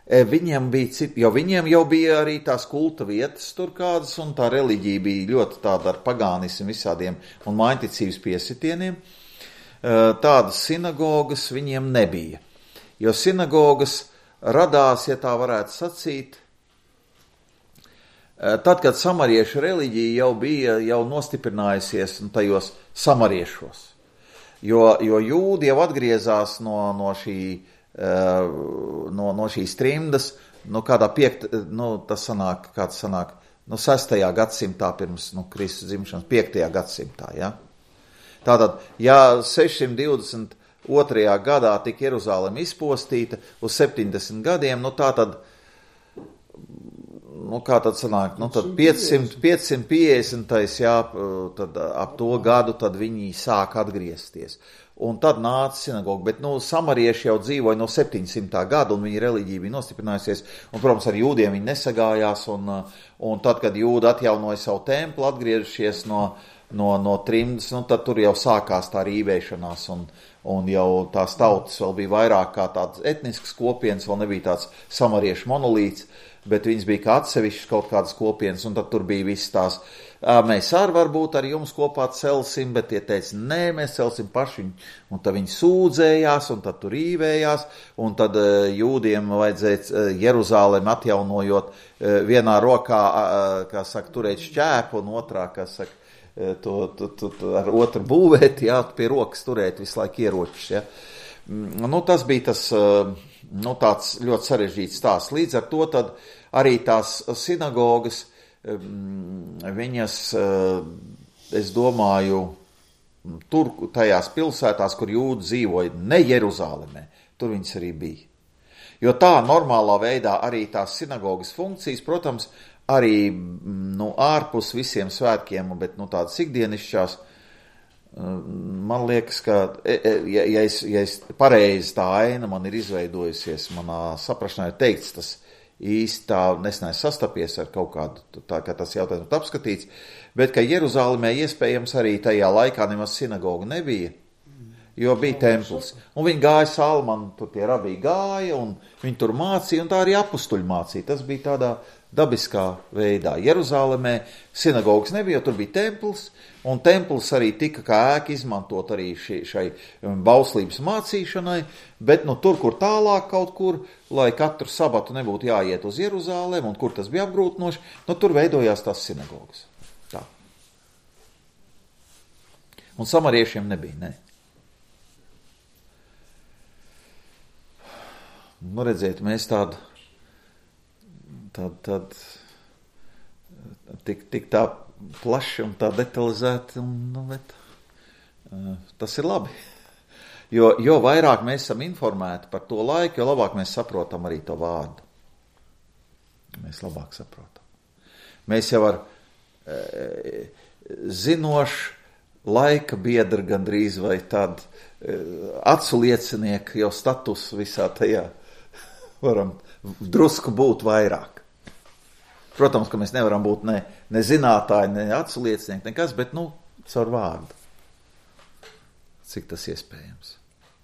Viņiem bija citi, jo viņiem jau bija arī tās kulta vietas tur kādas, un tā reliģija bija ļoti tāda ar pagānismu visādiem un mājticības piesitieniem. Tādas sinagogas viņiem nebija. Jo sinagogas radās, ja tā varētu sacīt, tad, kad samariešu reliģija jau bija jau nostiprinājusies tajos samariešos. Jo, jo jūdi jau atgriezās no, no šī No, no šīs trimdas, nu, kādā piekt, nu, tas sanāk, kāds sanāk, nu, sestajā gadsimtā pirms, nu, Kristus dzimšanas, piektajā gadsimtā, ja. Tātad, ja sešsimt divdesmit otrajā gadā tika Jeruzalem izpostīta uz septiņdesmit gadiem, nu, tātad, nu, kā tad sanāk, nu, tad piecsimt, piecsimt piecdesmit, jā, tad ap to gadu, tad viņi sāk atgriezties. Un tad nāca sinagoga, bet, nu, samarieši jau dzīvoja no septiņsimtā gada, un viņa reliģija bija nostiprinājusies, un, protams, ar jūdiem viņi nesagājās, un, un tad, kad jūdi atjaunoja savu templi, atgriežušies no, no, no trimdas, nu, tad tur jau sākās tā rīvēšanās, un, un jau tās tautas vēl bija vairāk kā tāds etnisks kopienas, vēl nebija tāds samariešu monolīts, bet viņas bija kā atsevišķas kaut kādas kopienas, un tad tur bija viss tās, mēs arī varbūt ar jums kopā celsim, bet tie teica, nē, mēs celsim paši, un tad viņi sūdzējās, un tad tur rīvējās, un tad jūdiem vajadzēja Jeruzālem atjaunojot vienā rokā, kā saka, turēt šķēpu, un otrā, kā saka, to, to, to, to ar otru būvēt, jā, pie rokas turēt visu laiku ieročus, jā. Nu, tas bija tas, nu, tāds ļoti sarežģīts stāsts. Līdz ar to tad arī tās sinagogas, viņas, es domāju, tur tajās pilsētās, kur jūdi dzīvoja, ne Jeruzālemē, tur viņas arī bija. Jo tā normālā veidā arī tās sinagogas funkcijas, protams, arī, nu, ārpus visiem svētkiem, bet, nu, tādas ikdienišķās, man liekas, ka, ja, ja, es, ja es pareizi tā aina man ir izveidojusies, manā saprašanā ir teikts, tas īsti tā nesnēs sastapies ar kaut kādu, tā kā tas jautājums apskatīts, bet ka Jeruzālimē iespējams arī tajā laikā nemaz sinagoga nebija, jo bija templis. Un viņi gāja Salmanu, tur tie rabī gāja, un viņi tur mācīja, un tā arī apustuļi mācīja. Tas bija tādā dabiskā veidā. Jeruzālimē sinagogas nebija, jo tur bija templis, un templis arī tika kā ēka izmantot arī šai, šai bauslības mācīšanai, bet nu tur, kur tālāk kaut kur, lai katru sabatu nebūtu jāiet uz Jeruzālēm, un kur tas bija apgrūtinoši, nu tur veidojās tās sinagogas. Tā. Un samariešiem nebija, ne. Nu redziet, mēs tādu, tādu, tādu, tik, tik tā plaši un tā detalizēti, un, nu, bet, uh, tas ir labi. Jo, jo vairāk mēs esam informēti par to laiku, jo labāk mēs saprotam arī to vārdu. Mēs labāk saprotam. Mēs jau ar, zinošs, laika biedra gandrīz vai tad acu liecinieku jau status visā tajā varam drusku būt vairāk. Protams, ka mēs nevaram būt ne, ne zinātāji, ne acu liecinieki, nekas, bet, nu, caur vārdu. Cik tas iespējams.